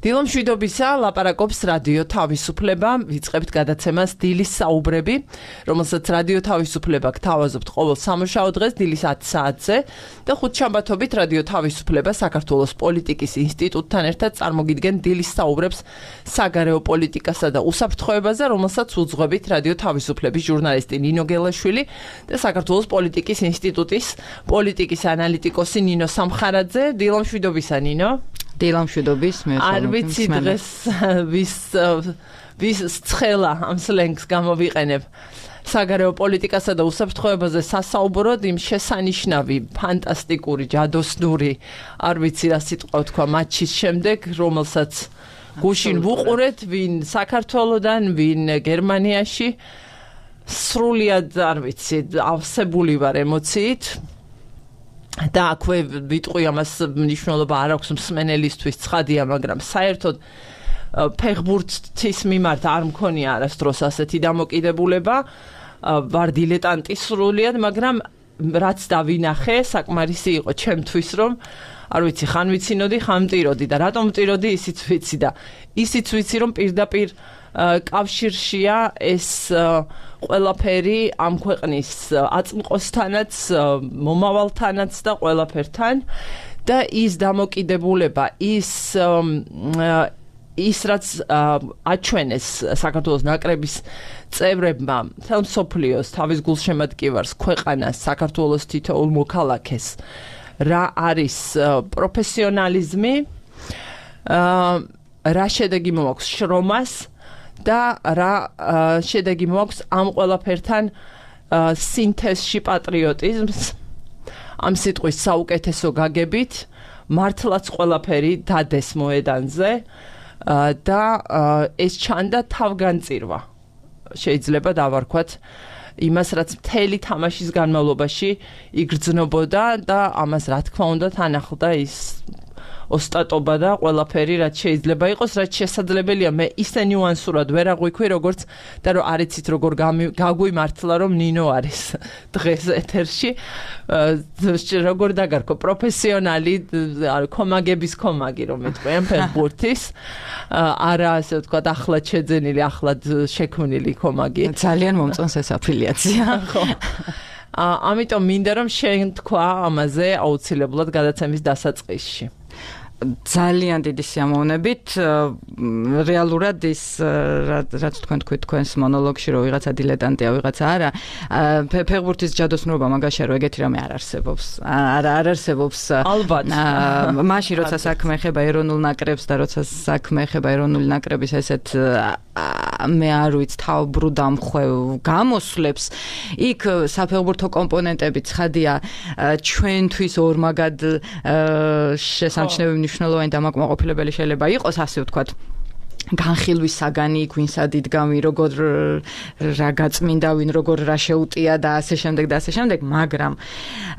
დილომშვიდობისა ლაპარაკობს რადიო თავისუფლება, ვიწყებთ გადაცემას დილის საუბრები, რომელსაც რადიო თავისუფლება გთავაზობთ ყოველ სამუშაო დღეს დილის 10 საათზე და ხუთშაბათობით რადიო თავისუფლება საქართველოს პოლიტიკის ინსტიტუტთან ერთად წარმოგიდგენ დილის საუბრებს საგარეო პოლიტიკასა და უსაფრთხოებაზე, რომელსაც უძღვებით რადიო თავისუფლების ჟურნალისტი ნინო გელაშვილი და საქართველოს პოლიტიკის ინსტიტუტის პოლიტიკის ანალიტიკოსი ნინო სამხარაძე. დილომშვიდობისა ნინო. დილამშვიდობის არ ვიცი დღეს ვის ცხელა ამ სლენგს გამოვიყენებ საგარეო პოლიტიკასა და უსაფრთხოებაზე სასაუბროდ იმ შესანიშნავი ფანტასტიკური ჯადოსნური არ ვიცი რა სიტყვა თქვა მატჩის შემდეგ რომელსაც გუშინ ვუყურეთ ვინ საქართველოდან ვინ გერმანიაში სრულიად არ ვიცი ავსებული ვარ ემოციით და აქვე ვიტყვი ამას მნიშვნელობა არ აქვს მსმენელისთვის ცხადია, მაგრამ საერთოდ ფეხბურთის მიმართ არ მქონია არასდროს ასეთი დამოკიდებულება, ვარ დილეტანტი სრულიად, მაგრამ რაც დავინახე, საკმარისი იყო ჩემთვის, რომ არ ვიცი, ხან ვიცინოდი, ხან მტიროდი და რატომ მტიროდი, ისიც ვიცი და ისიც ვიცი, რომ პირდაპირ კავშირშია ეს ყველაფერი ამ ქვეყნის აწმყოსთანაც, მომავალთანაც და ყველაფერთან და ის დამოკიდებულება, ის რაც აჩვენეს საქართველოს ნაკრების წევრებმა თელმსოფლიოს თავის გულშემატკივარს ქვეყანას საქართველოს თითოეულ მოქალაქეს რა არის პროფესიონალიზმი, რა შედეგი მოაქვს შრომას და რა შედეგი მოაქვს ამ ყველაფერთან სინთეზში პატრიოტიზმს ამ სიტყვის საუკეთესო გაგებით მართლაც ყველაფერი დადეს მოედანზე და ეს ჩანდა თავგანწირვა შეიძლება დავარქვათ იმას რაც მთელი თამაშის განმავლობაში იგრძნობოდა და ამას რა თქმა უნდა თან ახლდა ის ოსტატობა და ყველაფერი რაც შეიძლება იყოს, რაც შესაძლებელია მე ისე ნიუანსურად ვერ აღვიქვი როგორც და რომ არ იცით როგორ გაგვიმართლა რომ ნინო არის დღეს ეთერში როგორ დაგარქო პროფესიონალი კომაგების კომაგი რომ მეთქვი ამ ფეხბურთის არა ასე ვთქვათ ახლად შეძენილი ახლად შექმნილი კომაგი ძალიან მომწონს ეს აფილიაცია ხო ამიტომ მინდა რომ შენ თქვა ამაზე აუცილებლად გადაცემის დასაწყისში ძალიან დიდი სიამოვნებით რეალურად ის რაც თქვენ თქვით თქვენს მონოლოგში რომ ვიღაცა დილეტანტია ვიღაცა არა ფეხბურთის ჯადოსნურობა მაგაშია რომ ეგეთი რამე არ არსებობს არ არსებობს ალბათ მაშინ როცა საქმე ეხება ეროვნულ ნაკრებს და როცა საქმე ეხება ეროვნული ნაკრების ესეთ მე არ ვიცი თავბრუ დამხვევ გამოსვლებს იქ საფეხბურთო კომპონენტები ცხადია ჩვენთვის ორმაგად შესამჩნევი მნიშვნელოვანი დამაკმაყოფილებელი შეიძლება იყოს ასე ვთქვათ განხილვის საგანი ვინსად იდგამი როგორ რა გაწმინდა ვინ როგორ რა შეუტია და ასე შემდეგ მაგრამ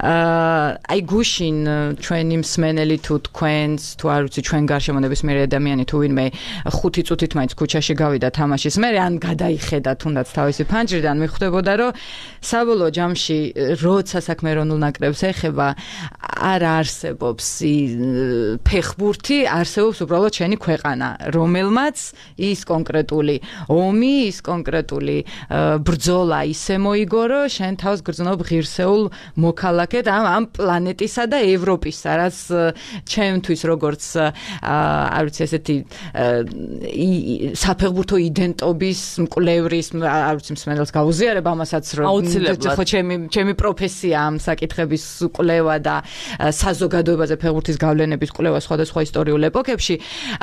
აი გუშინ ჩვენი მსმენელი თუ თქვენს თუ არ ვიცი ჩვენ გარშემონების მე ადამიანი თუ ვინმე 5 წუთით მაინც ქუჩაში გავიდა თამაშის მერე ან გადაიხედა თუნდაც თავისი ფანჯრიდან მიხვდებოდა რომ საბოლოო ჯამში როცა საქმე ეროვნულ ნაკრებს ეხება არ არსებობს ფეხბურთი არსებობს უბრალოდ შენი ქვეყანა რომელმაც ის კონკრეტული ომი, ის კონკრეტული ბრძოლა ისე მოიგო, რომ შენ თავს გრძნობ ღირსეულ მოქალაქედ ამ პლანეტისა და ევროპისა, რაც ჩემთვის როგორც არ ვიცი ესეთი საფეხბურთო იდენტობის მკვლევრის არ ვიცი მსმენელს გაუზიარებ ამასაც რომ ხო ჩემი პროფესია ამ საკითხების კვლევა და საზოგადოებაზე ფეხბურთის გავლენების კვლევა სხვადასხვა ისტორიულ ეპოქებში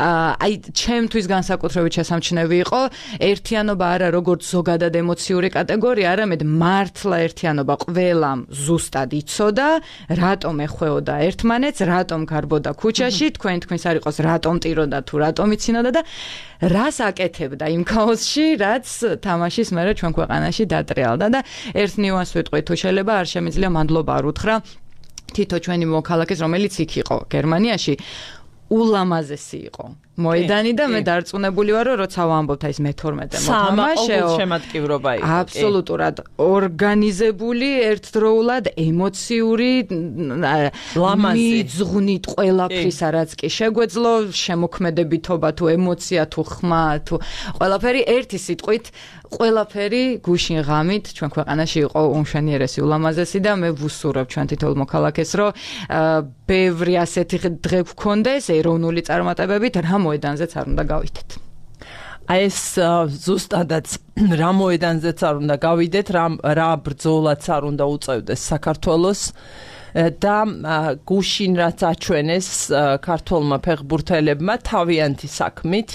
აი ჩემთვის განსაკუთრებით შესამჩნევი იყო ერთიანობა არა როგორც ზოგადად ემოციური კატეგორია, არამედ მართლა ერთიანობა ყველამ ზუსტად იცოდა, რატომ ეხვეოდა ერთმანეთს, რატომ გარბოდა ქუჩაში, თქვენს არ იყოს რატომ ტიროდა თუ რატომ იცინოდა და რას აკეთებდა იმ ქაოსში, რაც თამაშის მერე ჩვენ ქვეყანაში დატრიალდა და ერთ ნიუანსს ვიტყვი თუ შეიძლება არ შემიძლია მადლობა არ უთხრა თითო ჩვენი მოქალაქეს, რომელიც იქ იყო გერმანიაში ულამაზესი იყო მოედანი და მე დარწმუნებული ვარ, რომ როცა ვამბობთ აი ეს მე-12 მოთამაშეო შემატკივრობა იყო. აბსოლუტურად ორგანიზებული, ერთდროულად ემოციური, მიძღვნით ყველაფრისა, რაც კი შეგვეძლო, შემოქმედებითობა თუ ემოცია თუ ხმა თუ ყველაფერი ერთი სიტყვით ყველაფერი გუშინ ღამით ჩვენ ქვეყანაში იყო უმშვენიერესი, ულამაზესი და მე ვუსურებ ჩვენ თითოეულ მოქალაქეს, რომ ბევრი ასეთი დღე გქონდეს ეროვნული წარმატებებით, რა მოედანზეც არ უნდა გავიდეთ. აი ეს ზუსტადაც რა მოედანზეც არ უნდა გავიდეთ, რა ბრძოლაც არ უნდა უწევდეს საქართველოს და გუშინ რაც აჩვენეს ქართველმა ფეხბურთელებმა თავიანთი საქმით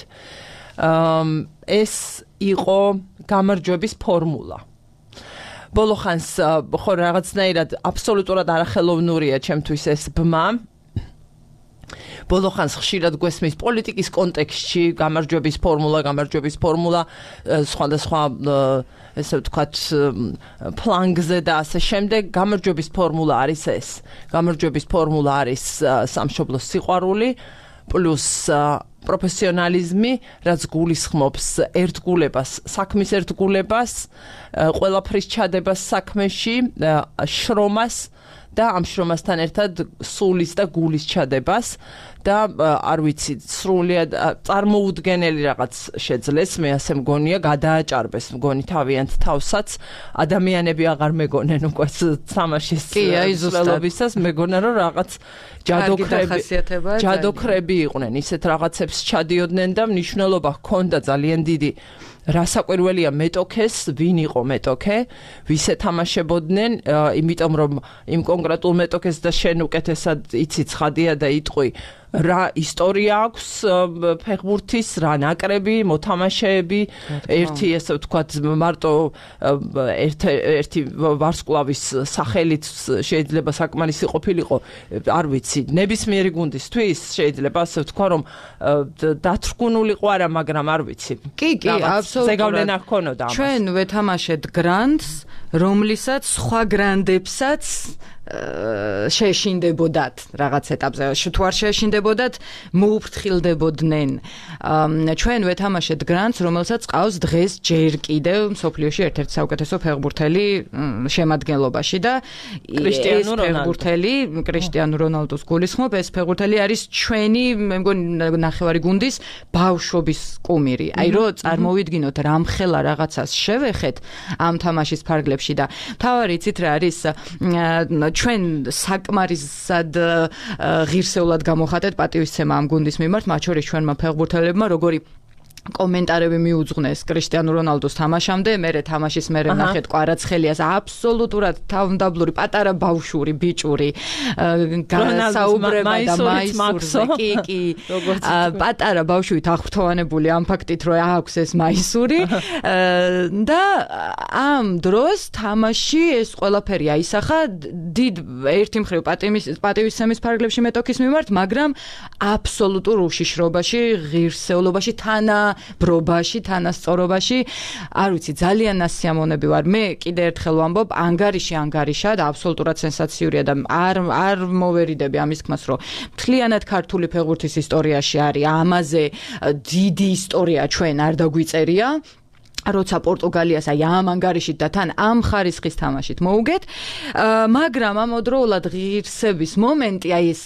ეს იყო გამარჯვების ფორმულა. ბოლო ხანს ხო რაღაცნაირად აბსოლუტურად არახელოვნურია ჩემთვის ეს ბმა. ბოლო ხანს ხშირად გვესმის პოლიტიკის კონტექსტში გამარჯვების ფორმულა სხვადასხვა ესე ვთქვათ ფლანგზე და ასე შემდეგ. გამარჯვების ფორმულა არის ეს. გამარჯვების ფორმულა არის სამშობლოს სიყვარული პლუს პროფესიონალიზმი, რაც გულისხმობს ერთგულებას, საქმის ერთგულებას, ყველაფრის ჩადებას საქმეში, შრომას და ამ შრომასთან ერთად სულის და გულის ჩადებას და არ ვიცი, სრულიად წარმოუდგენელი რაღაც შეძლეს, მე ასე მგონია, გადააჭარბეს მგონი თავიანთ თავსაც, ადამიანები აღარ მეგონენ უკვე თამაშის მსვლელობისას, მეგონა რომ რაღაც ჯადოქრები იყვნენ, ისეთ რაღაცებს ჩადიოდნენ და მნიშვნელობა ჰქონდა ძალიან დიდი. რასაკვირველია მეტოქეს, ვინ იყო მეტოქე, ვის ეთამაშებოდნენ, იმიტომ რომ იმ კონკრეტულ მეტოქეს და შენ უკეთესად იცი ცხადია და იტყვი, რა ისტორია აქვს ფეხბურთის, რა ნაკრები, მოთამაშეები, ერთი ესე ვთქვათ მარტო ერთი ვარსკვლავის სახელით შეიძლება საკმარისი ყოფილიყო, არ ვიცი, ნებისმიერი გუნდისთვის შეიძლება ასე ვთქვა, რომ დათრგუნულიყო არა, მაგრამ არ ვიცი. კი, აბსოლუტურად. ზეგავლენა ჰქონოდა ამას. ჩვენ ვეთამაშეთ გრანდს, რომლისაც სხვა გრანდებსაც შეეშინდებოდათ რაღაც ეტაპზე, თუ არ შეეშინდებოდათ, მოუფრთხილდებოდნენ. ჩვენ ვეთამაშეთ გრანდს, რომელსაც ყავს დღეს ჯერ კიდევ მსოფლიოში ერთ-ერთი საუკეთესო ფეხბურთელი შემადგენლობაში და ეს ფეხბურთელი კრისტიანო რონალდოს გულისხმობ, ეს ფეხბურთელი არის ჩვენი, მე მგონი ნახევარი გუნდის ბავშვობის კუმირი. აი რო წარმოვიდგინოთ რამხელა რაღაცას შევეხეთ ამ თამაშის ფარგლებში და თავარი იცით რა არის ჩვენ საკმარისად ღირსეულად გამოხატეთ პატივისცემა ამ გუნდის მიმართ, მათ შორის ჩვენმა ფეხბურთელებმა, როგორი კომენტარები მიუძღვნეს კრისტიანო რონალდოს თამაშამდე, მერე თამაშის მერე ნახეთ კვარაცხელიას აბსოლუტურად თავმდაბლური პატარა ბავშვური ბიჭური განსაუბრება და მაისურზე კი პატარა ბავშვით აღფრთოვანებული ამ ფაქტით რომ აქვს ეს მაისური და ამ დროს თამაში ეს ყველაფერი აისახა დიდ ერთი მხრივ პატივისცემის ფარგლებში მეტოქის მიმართ, მაგრამ აბსოლუტურ უშიშრობაში, ღირსეულობაში, ბრობაში, თანასწორობაში, არ ვიცი, ძალიან ასიამოვნები ვარ. მე კიდე ერთხელ ვამბობ, ანგარიშა და აბსოლუტურად სენსაციურია და არ მოვერიდები ამის თქმას, რომ მთლიანად ქართული ფეხბურთის ისტორიაში არის ამაზე დიდი ისტორია ჩვენ არ დაგვიწერია. როცა პორტუგალიას აი ამ ანგარიშით და თან ამ ხარისხის თამაშით მოუგეთ, მაგრამ ამავდროულად ღირსების მომენტი აი ეს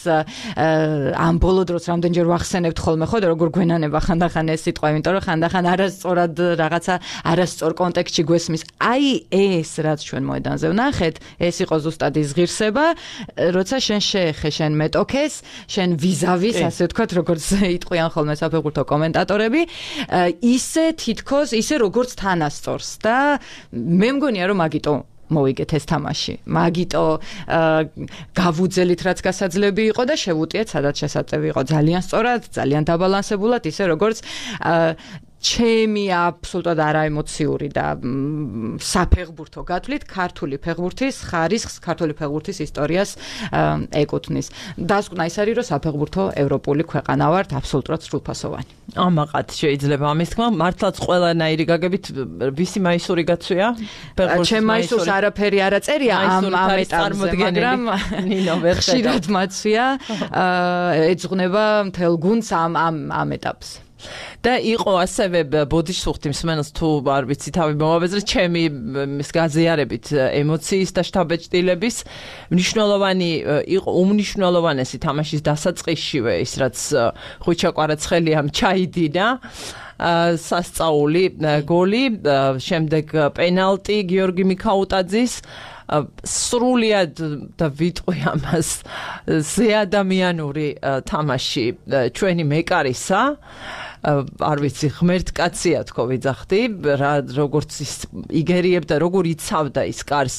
ამ ბოლო დროს რამდენჯერ ვახსენებთ ხოლმე ხო და როგორ გვენანება ხანდახან ეს სიტყვა, იმიტომ რომ ხანდახან არასწორად რაღაცა არასწორ კონტექსტში გვესმის. აი ეს რაც ჩვენ მოედანზე ვნახეთ, ეს იყო ზუსტად ის ღირსება, როცა შენ შეეხე შენ მეტოქეს, შენ ვიზავის, ასე ვთქვათ, როგორც იტყვიან ხოლმე საფეხბურთო კომენტატორები, ისე თითქოს, ისე როგორც თანასწორს და მე მგონია რომ მაგიტო მოვიგეთ ეს თამაში. მაგიტო გავუძელით რაც გასაძლები იყო და შევუტიეთ სადაც შესაძლებელი იყო. ძალიან სწორად, ძალიან დაბალანსებულად, ისე როგორც ჩემი აბსოლუტურად არაემოციური და საფეხბურთო გათვლით ქართული ფეხბურთის ხარისხს, ქართული ფეხბურთის ისტორიას ეკუთვნის. დასკვნა ის არის, რომ საფეხბურთო ევროპული ქვეყანა ვართ, აბსოლუტურად სრულფასოვანი. ამაყად შეიძლება ამის თქმა, მართლაც ყველანაირი გაგებით ვისი მაისური გაცვია? ჩემ მაისურს არაფერი არ აწერია ამ ეტაპზე, მაგრამ ნინო ვერ ხშირად მაცვია, ეძღვნება მთელ გუნდს ამ ეტაპზე. და იყო ასევე ბოდიშსუხთი მსმენელს თუ არ ვიცი თავი მომავეზრე ჩემი გაზიარებით ემოციის და შთაბეჭდილების მნიშვნელოვანი იყო უმნიშვნელოვანესი თამაშის დასაწყისშივე ის რაც ხვიჩა კვარაცხელიამ ჩაიდინა სასწაული გოლი შემდეგ პენალტი გიორგი მიქაუტაძის სრულიად და ვიტყვი ამას ზეადამიანური თამაში ჩვენი მეკარისა არ ვიცი ღმერთკაცია თქო ვიძახდი როგორც ის იგერიებდა როგორ იცავდა ის კარს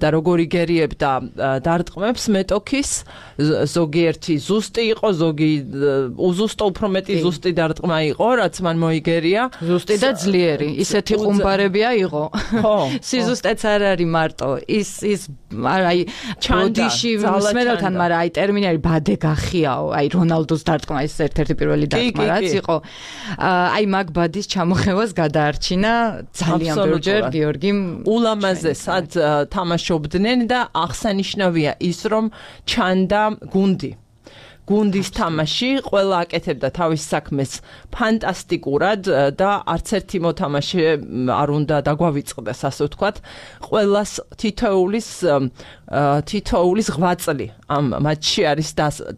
და როგორ იგერიებდა დარტყმებს მეტოქის ზოგიერთი ზუსტი იყო ზოგი უზუსტო უფრო მეტი ზუსტი დარტყმა იყო რაც მან მოიგერია ზუსტი და ძლიერი ისეთი ყუმბარებია იყო ხო სიზუსტეც არ არის მარტო ის აი ჩანდიში მსმენელთან მაგრამ აი ტერმინი არის ბადე გახიაო აი რონალდოს დარტყმა ის ერთ-ერთი პირველი დარტყმა რაც იყო აი მაგბადის ჩამოხევას გადაარჩინა ძალიან ბევრჯერ გიორგიმ ულამაზესად თამაშობდნენ და აღსანიშნავია ის რომ ჩანდა გუნდის თამაში ყველა აკეთებდა თავის საქმეს ფანტასტიკურად და არც ერთი მოთამაშე არ უნდა დაგვავიწყდეს ასე ვთქვათ ყველას თითოეულის ღვაწლი ამ მატჩში არის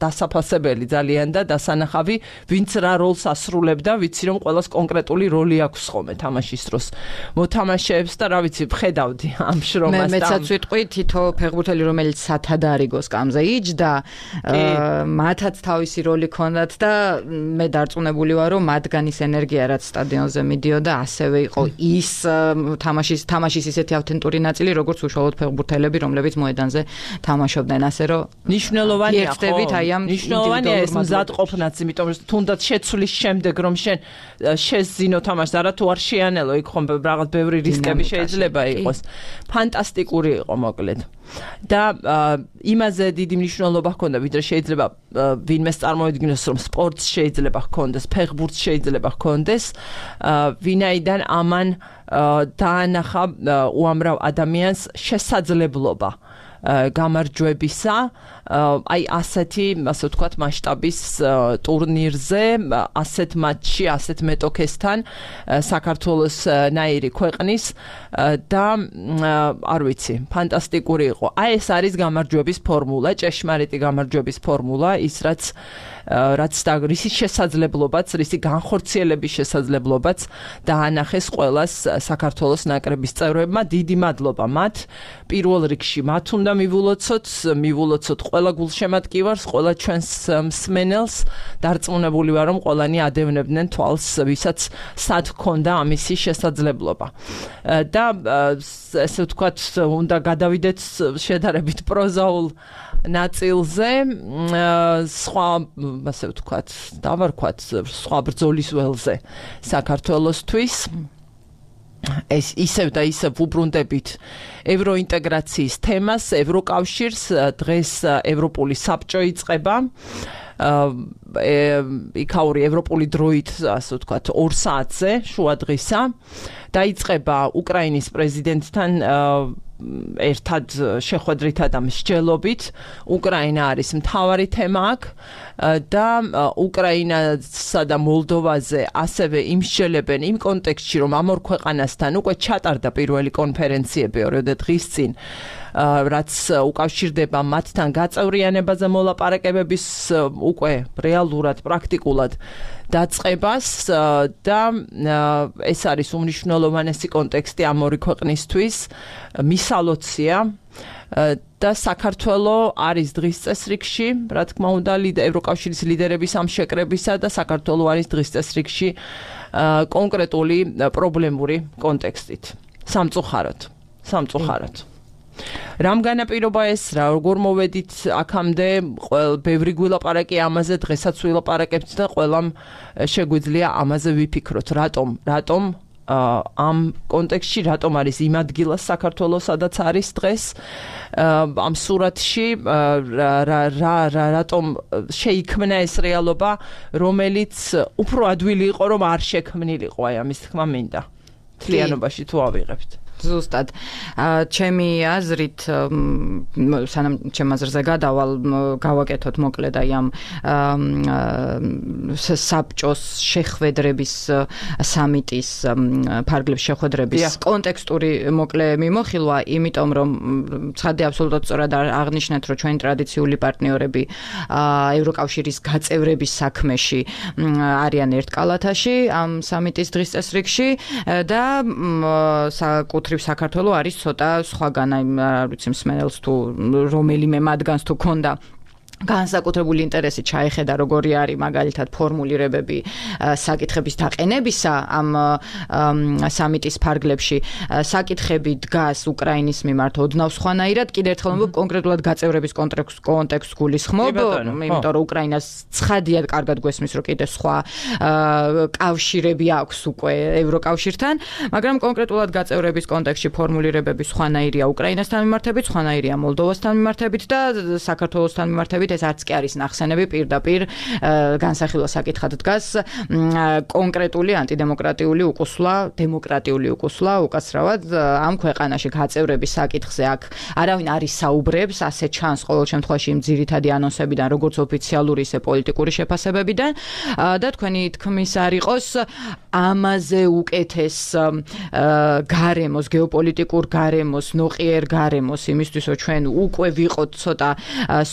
დასაფასებელი ძალიან და დასანახავი ვინც რა როლს ასრულებდა ვიცი რომ ყველას კონკრეტული როლი აქვს ხოლმე თამაშის დროს მოთამაშეებს და რა ვიცი ვხედავდი ამ შრომას და მეცაც ვიტყვი თითო ფეხბურთელი რომელიც სათადარიგო სკამზე იჯდა მათაც თავისი როლი ქონდათ და მე დარწმუნებული ვარ რომ მათგანის ენერგია რაც სტადიონზე მიდიოდა ასევე იყო ის თამაშის ისეთი ავთენტური ნაწილი როგორც უშუალოდ ფეხბურთელები რომლებიც მოედანზე თამაშობდნენ ასე რომ ნიშნულოვანია ნიშნულოვანია ეს მზადყოფნაც იმიტომ რომ თუნდაც შეცვლის შემდეგ რომ შენ შეზინო თამაშს არა თუ არ შეანელო იქ ხომ რაღაც ბევრი რისკები შეიძლება იყოს ფანტასტიკური იყო მოკლედ და იმაზე დიდი მნიშვნელობა ჰქონდა ვიდრე შეიძლება ვინმეს წარმოედგინოს რომ სპორტს შეიძლება ჰქონდეს ფეხბურთს შეიძლება ჰქონდეს ვინაიდან ამან დაანახა უამრავ ადამიანს შესაძლებლობა გამარჯვებისა აი ასეთი ასე ვთქვათ მასშტაბის ტურნირზე ასეთ მატჩში ასეთ მეტოქესთან საქართველოს ნაირი ქვეყნის და არ ვიცი ფანტასტიკური იყო აი ეს არის გამარჯვების ფორმულა ჭეშმარიტი გამარჯვების ფორმულა ის რაც რისი შესაძლებლობაც რისი განხორციელების შესაძლებლობაც დაანახეს ყველას საქართველოს ნაკრების წევრებმა დიდი მადლობა მათ პირველ რიგში მათ უნდა მივულოცოთ ყველა გულშემატკივარს ყველა ჩვენს მსმენელს დარწმუნებული ვარ რომ ყველანი ადევნებდნენ თვალს ვისაც სად ჰქონდა ამისი შესაძლებლობა და ესე ვთქვათ უნდა გადავიდეთ შედარებით პროზაულ ნაწილზე სხვა ასე ვთქვათ დავარქვათ სხვა ბრძოლის ველზე საქართველოსთვის ეს ისევ და ისევ უბრუნდებით ევროინტეგრაციის თემას ევროკავშირს დღეს ევროპული საბჭო იწყება იქაური ევროპული დროით ასე ვთქვათ 2 საათზე შუა დღისა დაიწყება უკრაინის პრეზიდენტთან ერთად შეხვედრითა და მსჯელობით უკრაინა არის მთავარი თემა აქ და უკრაინასა და მოლდოვაზე ასევე იმსჯელებენ იმ კონტექსტში რომ ამ ორ ქვეყანასთან უკვე ჩატარდა პირველი კონფერენციები 2 დღის წინ რაც უკავშირდება მათთან გაწევრიანებაზე მოლაპარაკებების უკვე რეალურად პრაქტიკულად დაწყებას და ეს არის უმნიშვნელოვანესი კონტექსტი ამ ორი ქვეყნისთვის მისალოცია და საქართველოს არის დღის წესრიგში რა თქმა უნდა ევროკავშირის ლიდერების ამ შეკრებისა და საქართველოს არის დღის წესრიგში კონკრეტული პრობლემური კონტექსტით სამწუხაროდ რამ განაპირობა ეს რა, როგორ მოვედით აქამდე, ბევრი გვილაპარაკი ამაზე, დღესაც ვილაპარაკებთ და ყველამ შეგვიძლია ამაზე ვიფიქროთ, რატომ ამ კონტექსტში რატომ არის იმ ადგილას საქართველოს სადაც არის დღეს ამ სურათში რატომ შეიქმნა ეს რეალობა რომელიც უფრო ადვილი იყო რომ არ შექმნილიყო აი ამის თქმა მინდა თლიანობაში თუ ავიღებთ ზუსტად ჩემი აზრით სანამ ჩემ აზრზე გადავალ გავაკეთოთ მოკლედ აი ამ საბჭოს შეხვედრების სამიტის ფარგლებს შეხვედრების კონტექსტური მოკლე მიმოხილვა იმიტომ რომ ცხადია აბსოლუტურად სწორად აღნიშნეთ რომ ჩვენი ტრადიციული პარტნიორები ევროკავშირის გაწევრების საქმეში არიან ერთ კალათაში ამ სამიტის დღის წესრიგში და საკუთრივ საქართველოს არის ცოტა სხვაგან აი არ ვიცი მსმენელს თუ რომელიმე მათგანს თუ ქონდა განსაკუთრებული ინტერესი ჩაეხედა როგორი არის მაგალითად ფორმულირებები საკითხების დაყენებისა ამ სამიტის ფარგლებში საკითხები დგას უკრაინის მიმართ ოდნავ სხვანაირად კიდევ ერთხელ კონკრეტულად გაწევრების კონტექსტს გულისხმობ იმიტომ რომ უკრაინას ცხადიად კარგად გვესმის რომ კიდევ სხვა კავშირები აქვს უკვე ევროკავშირთან მაგრამ კონკრეტულად გაწევრების კონტექსტში ფორმულირებები სხვანაირია უკრაინასთან მიმართებით სხვანაირია მოლდოვასთან მიმართებით და საქართველოსთან მიმართებით ეს არც კი არის ნახსენები პირდაპირ განსახილვა საკითხად დგას კონკრეტული ანტიდემოკრატიული უკუსვლა დემოკრატიული უკუსვლა უკაცრავად ამ ქვეყანაში გაწევრების საკითხზე აქ არავინ არ ისაუბრებს ასე ჩანს ყოველ შემთხვევაში იმ ძირითადი ანონსებიდან როგორც ოფიციალური ისე პოლიტიკური შეფასებებიდან და თქვენი თქმის არ იყოს ამაზე უკეთეს გარემოს გეოპოლიტიკურ გარემოს ნოყიერ გარემოს იმისთვის რომ ჩვენ უკვე ვიყოთ ცოტა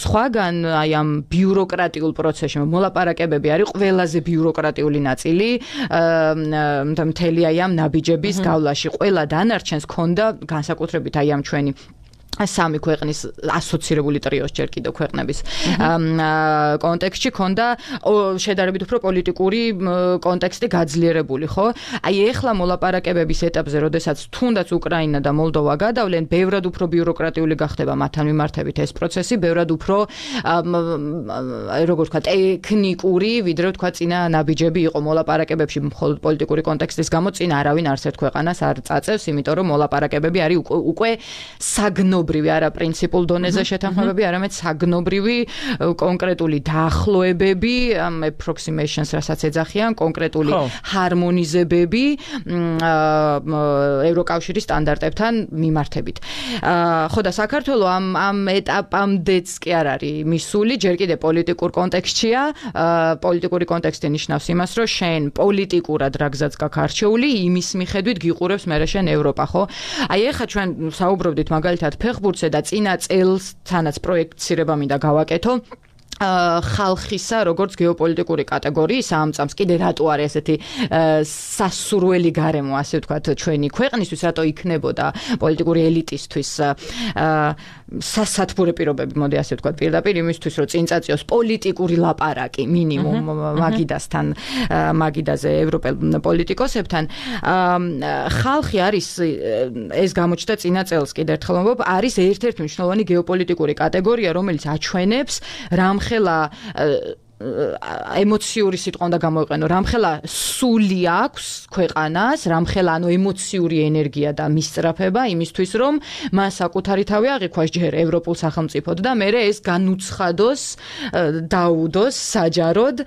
სხვაგან აი ამ ბიუროკრატიულ პროცესში მოლაპარაკებები არის ყველაზე ბიუროკრატიული ნაწილი მთელი აი ამ ნაბიჯების გავლაში ყველა დანარჩენს ქონდა განსაკუთრებით აი ამ ჩვენი სამი ქვეყნის ასოცირებული ტრიოს ჯერ კიდევ ქვეყნების კონტექსტში ქონდა შედარებით უფრო პოლიტიკური კონტექსტი გაძლიერებული, ხო? აი ეხლა მოლაპარაკებების ეტაპზე, როდესაც თუნდაც უკრაინა და მოლდოვა გადავლენ, ბევრად უფრო ბიუროკრატიული გახდება მათთან მიმართებით ეს პროცესი, ბევრად უფრო როგორ ვთქვა, ტექნიკური, ვიდრე ვთქვა წინა ნაბიჯები იყო მოლაპარაკებებში მხოლოდ პოლიტიკური კონტექსტის გამო წინ არავინ არც ერთ ქვეყანას არ წაწევს, იმიტომ რომ მოლაპარაკებები არის უკვე საგნობრივი არა პრინციპულ დონეზე შეთანხმებები, არამედ საგნობრივი კონკრეტული დაახლოებები, approximations რასაც ეძახიან, კონკრეტული ჰარმონიზებები ევროკავშირის სტანდარტებთან მიმართებით. ხო და საქართველოს ამ ეტაპამდეც კი არ არის მისული, ჯერ კიდევ პოლიტიკურ კონტექსტშია, პოლიტიკური კონტექსტი ნიშნავს იმას, რომ შენ პოლიტიკურად რა გზაც გაქვს არჩეული, იმის მიხედვით გიყურებს მერე შენ ევროპა, ხო? აი ეხლა ჩვენ საუბრობდით მაგალითად ფეხბურთზე და წინა წელს თანაც პროექტირება მინდა გავაკეთო ხალხისა როგორც გეოპოლიტიკური კატეგორიის ამ წამს კიდე რატო არის ესეთი სასურველი გარემო ასე ვთქვათ ჩვენი ქვეყნისთვის რატო იქნებოდა პოლიტიკური ელიტისთვის სასათბურე პირობები მოდი ასე ვთქვათ პირდაპირ იმისთვის რომ წინ წაწიოს პოლიტიკური ლაპარაკი მინიმუმ მაგიდასთან მაგიდაზე ევროპელ პოლიტიკოსებთან ხალხი არის ეს გამოჩნდა წინა წელს კიდე ერთხელ ვამბობ არის ერთ-ერთი მნიშვნელოვანი გეოპოლიტიკური კატეგორია რომელიც აჩვენებს რამხელა ემოციური სიტყვა უნდა გამოვიყენო, რამხელა სული აქვს ქვეყანას, რამხელა ანუ ემოციური ენერგია და მისწრაფება იმისთვის, რომ მას საკუთარი თავი აღიქვას ჯერ ევროპულ სახელმწიფოდ და მერე ეს განუცხადოს, დაუდოს საჯაროდ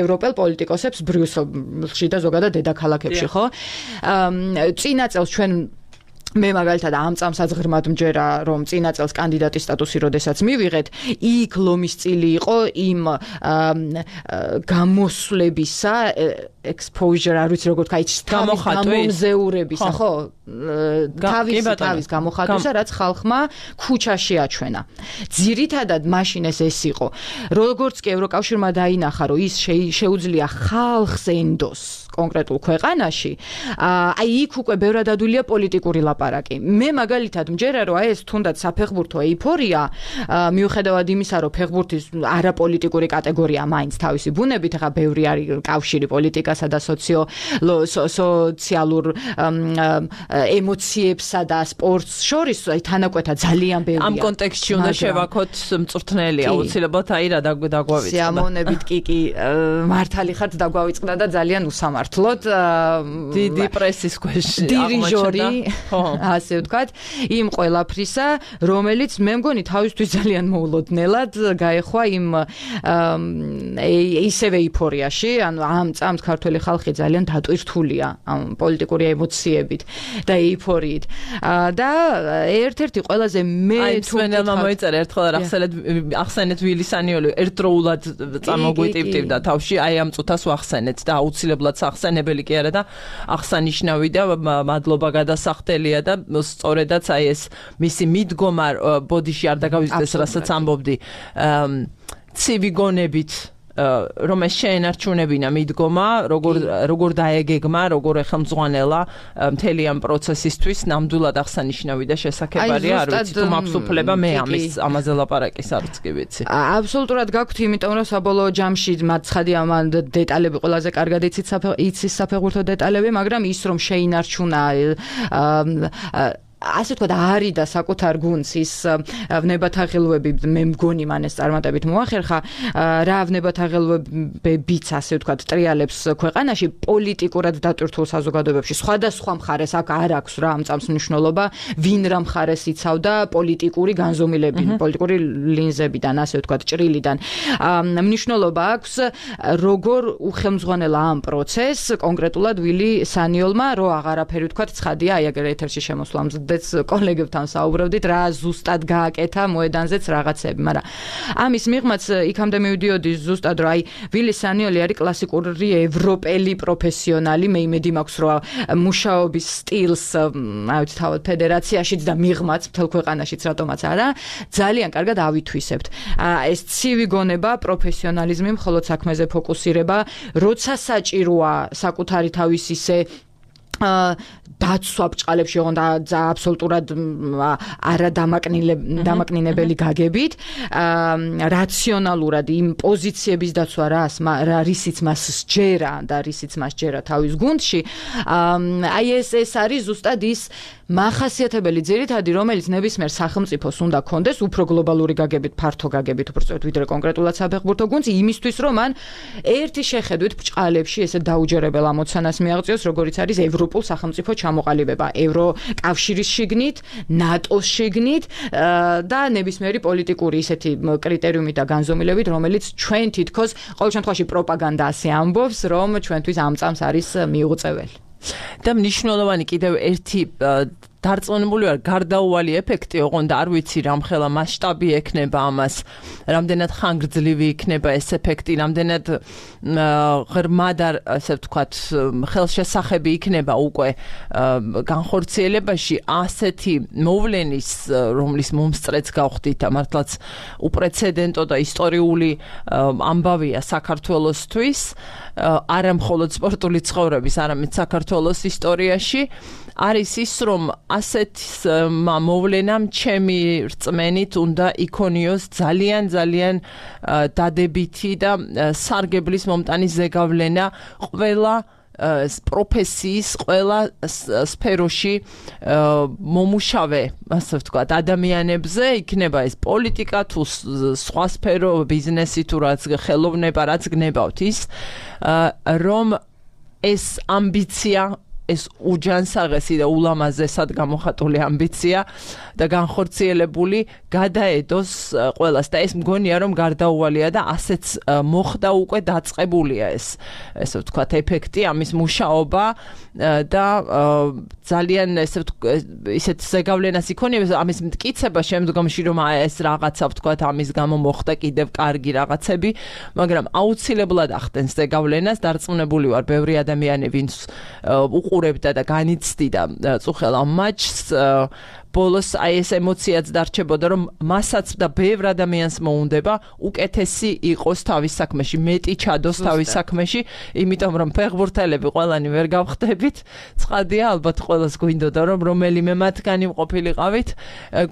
ევროპელ პოლიტიკოსებს ბრიუსელში და ზოგადად დედაქალაქებში, ხო? წინა წელს ჩვენ მე მაგალითად ამ წამსაც ღრმად მჯერა რომ წინა წელს კანდიდატის სტატუსი როდესაც მივიღეთ იქ ლომის წილი იყო იმ გამოსვლებისა exposure არ ვიცი როგორ თქვა გამომზეურებისა ხო თავის გამოხატვისა რაც ხალხმა ქუჩაში აჩვენა ძირითადად მაშინ ეს იყო როგორც კი ევროკავშირმა დაინახა რომ ის შეუძლია ხალხს ენდოს კონკრეტულ ქვეყანაში, აი იქ უკვე ბევრად ადვილია პოლიტიკური ლაპარაკი. მე მაგალითად მჯერა რომ აი ეს თუნდაც საფეხბურთო ეიფორია, მიუხედავად იმისა რომ ფეხბურთის არაპოლიტიკური კატეგორია მაინც თავისი ბუნებით, ახლა ბევრი არის კავშირი პოლიტიკასა და სოციალურ ემოციებსა და სპორტს შორის აი თანაკვეთა ძალიან ბევრია. ამ კონტექსტში უნდა შევაქოთ მწვრთნელი აუცილებლად აი რა დაგვავიწყდა. სიამოვნებით კი მართალი ხართ დაგვავიწყდა და ძალიან უსამართლოდ დიდი პრესის ქვეშ დირიჟორი ასე ვთქვათ იმ ყველაფრისა რომელიც მე მგონი თავისთვის ძალიან მოულოდნელად გაეხვა იმ ისევე ეიფორიაში ანუ ამ წამს ქართული ხალხი ძალიან დატვირთულია ამ პოლიტიკური ემოციებით და ეიფორიით და ერთ-ერთი ყველაზე მე თუნდაც მოიწერა ერთხელ ახსენეთ ვილი სანიოლი ერთდროულად წამოგვიტივტივდა თავში აი ამ წუთას ვახსენეთ და აუცილებლად სახსენებელი კი არა და აღსანიშნავი და მადლობა გადასახდელია და სწორედაც აი ეს მისი მიდგომა ბოდიში არ დაგავიწყდეს რასაც ამბობდი ცივი გონებით რომ ეს შეენარჩუნებინა მიდგომა როგორ დაეგეგმა როგორ ეხელმძღვანელა მთელი ამ პროცესისთვის ნამდვილად აღსანიშნავი და შესაძლებელია არ ვიცი თუ მაქვს უფლება მე ამაზე ლაპარაკის არც კი ვიცი აბსოლუტურად გაქვთ იმიტომ რომ საბოლოო ჯამში მათ ცხადია ამ დეტალები ყველაზე კარგად იცის საფეხბურთო დეტალები მაგრამ ის რომ შეინარჩუნა ასე თქვა და არის და საკუთარ გუნდს ის ვნებათაღელვები მე მგონი მან ეს წარმატებით მოახერხა რა ვნებათაღელვებებიც ასე ვთქვათ ტრიალებს ქვეყანაში პოლიტიკურად დატვირთულ საზოგადოებებში სხვადასხვა მხარეს აქ არ აქვს რა ამ წამს მნიშვნელობა ვინ რა მხარეს იცავდა პოლიტიკური განზომილებით პოლიტიკური ლინზებიდან ასე ვთქვათ ჭრილიდან მნიშვნელობა აქვს როგორ უხელმძღვანელა ამ პროცესს კონკრეტულად ვილი სანიოლმა რო აღარაფერი ვთქვათ ცხადია აი აგერ ეთერში შემოსვლამს კოლეგებთან საუბრობდით რა ზუსტად გააკეთა მოედანზეც რაღაცები, მაგრამ ამის მიღმაც იქამდე მივიდიოდი ზუსტად რომ აი ვილი სანიოლი არის კლასიკური ევროპელი პროფესიონალი, მე იმედი მაქვს რომ მუშაობის სტილს აი ვიცი თავად ფედერაციაშიც და მიღმაც მთელ ქვეყანაშიც რატომაც არა, ძალიან კარგად ავითვისებთ. ეს ცივი გონება, პროფესიონალიზმი, მხოლოდ საქმეზე ფოკუსირება, როცა საჭიროა საკუთარი თავის ისე დაცვა ბჭყალებში ოღონდ აბსოლუტურად არა დამაკნინებელი გაგებით რაციონალურად იმ პოზიციების დაცვა რისიც მას სჯერა და რისიც მას სჯერა თავის გუნდში აი ეს არის ზუსტად ის მახასიათებელი ძირითადი რომელიც ნებისმიერ სახელმწიფოს უნდა კონდეს უფრო გლობალური გაგებით ფართო გაგებით უბრალოდ ვიდრე კონკრეტულად საფეხბურთო გუნდს იმისთვის რომ მან ერთი შეხედვით ბჭყალებში ესე დაუჯერებელ ამოცანას მიაღწიოს როგორიც არის ევროპულ სახელმწიფო ჩამოყალიბება ევროკავშირის შიგნით ნატოს შიგნით და ნებისმიერი პოლიტიკური ისეთი კრიტერიუმით და განზომილებით რომელიც ჩვენ თითქოს ყოველ შემთხვევაში პროპაგანდა ასე ამბობს რომ ჩვენთვის ამ წამს არის მიუღწეველი და მნიშვნელოვანი კიდევ ერთი დარწმუნებული ვარ გარდაუვალი ეფექტი ოღონდ არ ვიცი რამხელა მასშტაბი ექნება ამას რამდენად ხანგრძლივი იქნება ეს ეფექტი რამდენად ღრმად ასე ვთქვათ ხელშესახები იქნება უკვე განხორციელებაში ასეთი მოვლენის რომლის მომსწრეც გავხდით და მართლაც უპრეცედენტო და ისტორიული ამბავია საქართველოსთვის არა მხოლოდ სპორტული ცხოვრების არამედ საქართველოს ისტორიაში არის ის რომ ასეთ მოვლენამ ჩემი რწმენით უნდა იქონიოს ძალიან დადებითი და სარგებლის მომტანი ზეგავლენა ყველა პროფესიის ყველა სფეროში მომუშავე ასე ვთქვათ ადამიანებზე იქნება ეს პოლიტიკა თუ სხვა სფერო ბიზნესი თუ რაც ხელოვნება რაც გნებავთ ის რომ ეს ამბიცია ეს უჯანსაღესი და ულამაზესად გამოხატული ამბიცია და განხორციელებული გადაედოს ყველას და ეს მგონია რომ გარდაუვალია და ასეც მოხდა უკვე დაწყებულია ესე ვთქვათ ეფექტი ამის მუშაობა და ძალიან ისეთ ზეგავლენას იქონიებს ამის მტკიცება შემდგომში რომ ეს რაღაცა ვთქვათ ამის გამო მოხდა კიდევ კარგი რაღაცები მაგრამ აუცილებლად ახდენს ზეგავლენას დარწმუნებული ვარ ბევრი ადამიანი ვინც უყურებდა და განიცდიდა წუხელ ამ მატჩს ბოლოს აი ეს ემოციაც დარჩებოდა, რომ მასაც და ბევრ ადამიანს მოუნდება უკეთესი იყოს თავის საქმეში, მეტი ჩადოს თავის საქმეში, იმიტომ რომ ფეხბურთელები ყველანი ვერ გავხდებით. ცხადია, ალბათ ყველას გვინდოდა რომ რომელიმე მათგანი მყოფილიყავით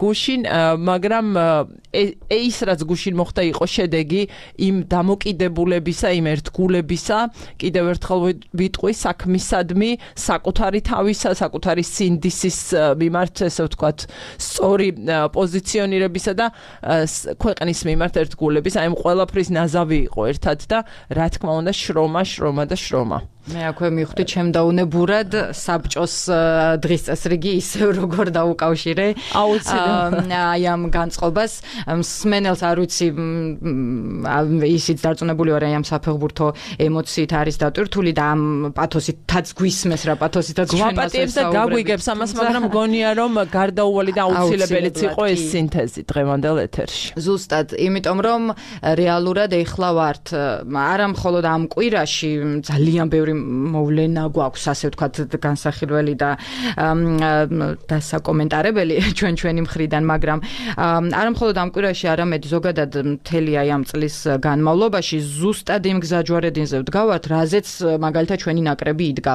გუშინ, მაგრამ ის რაც გუშინ მოხდა იყო შედეგი იმ დამოკიდებულებისა, იმ ერთგულებისა, კიდევ ერთხელ ვიტყვი, საქმისადმი, საკუთარი თავისა, საკუთარი სინდისის მიმართ, ესე ვთქვათ, სწორი პოზიციონირებისა და ქვეყნის მიმართ ერთგულების, აი ამ ყველაფრის ნაზავი იყო ერთად და რა თქმა უნდა შრომა. მე აქვე მივხვდი ჩემდაუნებურად საბჭოს დღის წესრიგი ისევ როგორ დაუკავშირე აი ამ განწყობას მსმენელს არ ვიცი ისიც დარწმუნებული ვარ ამ საფეხბურთო ემოციით არის დატვირთული და ამ პათოსითაც გვისმეს რა პათოსითაც გვაპატიებს და გაგვიგებს ამას, მაგრამ მგონია რომ გარდაუვალი და აუცილებელიც იყო ეს სინთეზი დღევანდელ ეთერში. ზუსტად, იმიტომ რომ რეალურად ეხლა ვართ არა მხოლოდ ამ კვირაში ძალიან ბევრი მოვლენა გვაქვს, ასე ვთქვათ, განსახილველი და დასაკომენტარებელი ჩვენი მხრიდან, მაგრამ არა მხოლოდ ამ კვირაში, არამედ ზოგადად მთელი აი ამ წლის განმავლობაში ზუსტად იმ გზაჯვარედინზე ვდგავართ, რაზეც მაგალითად ჩვენი ნაკრები იდგა.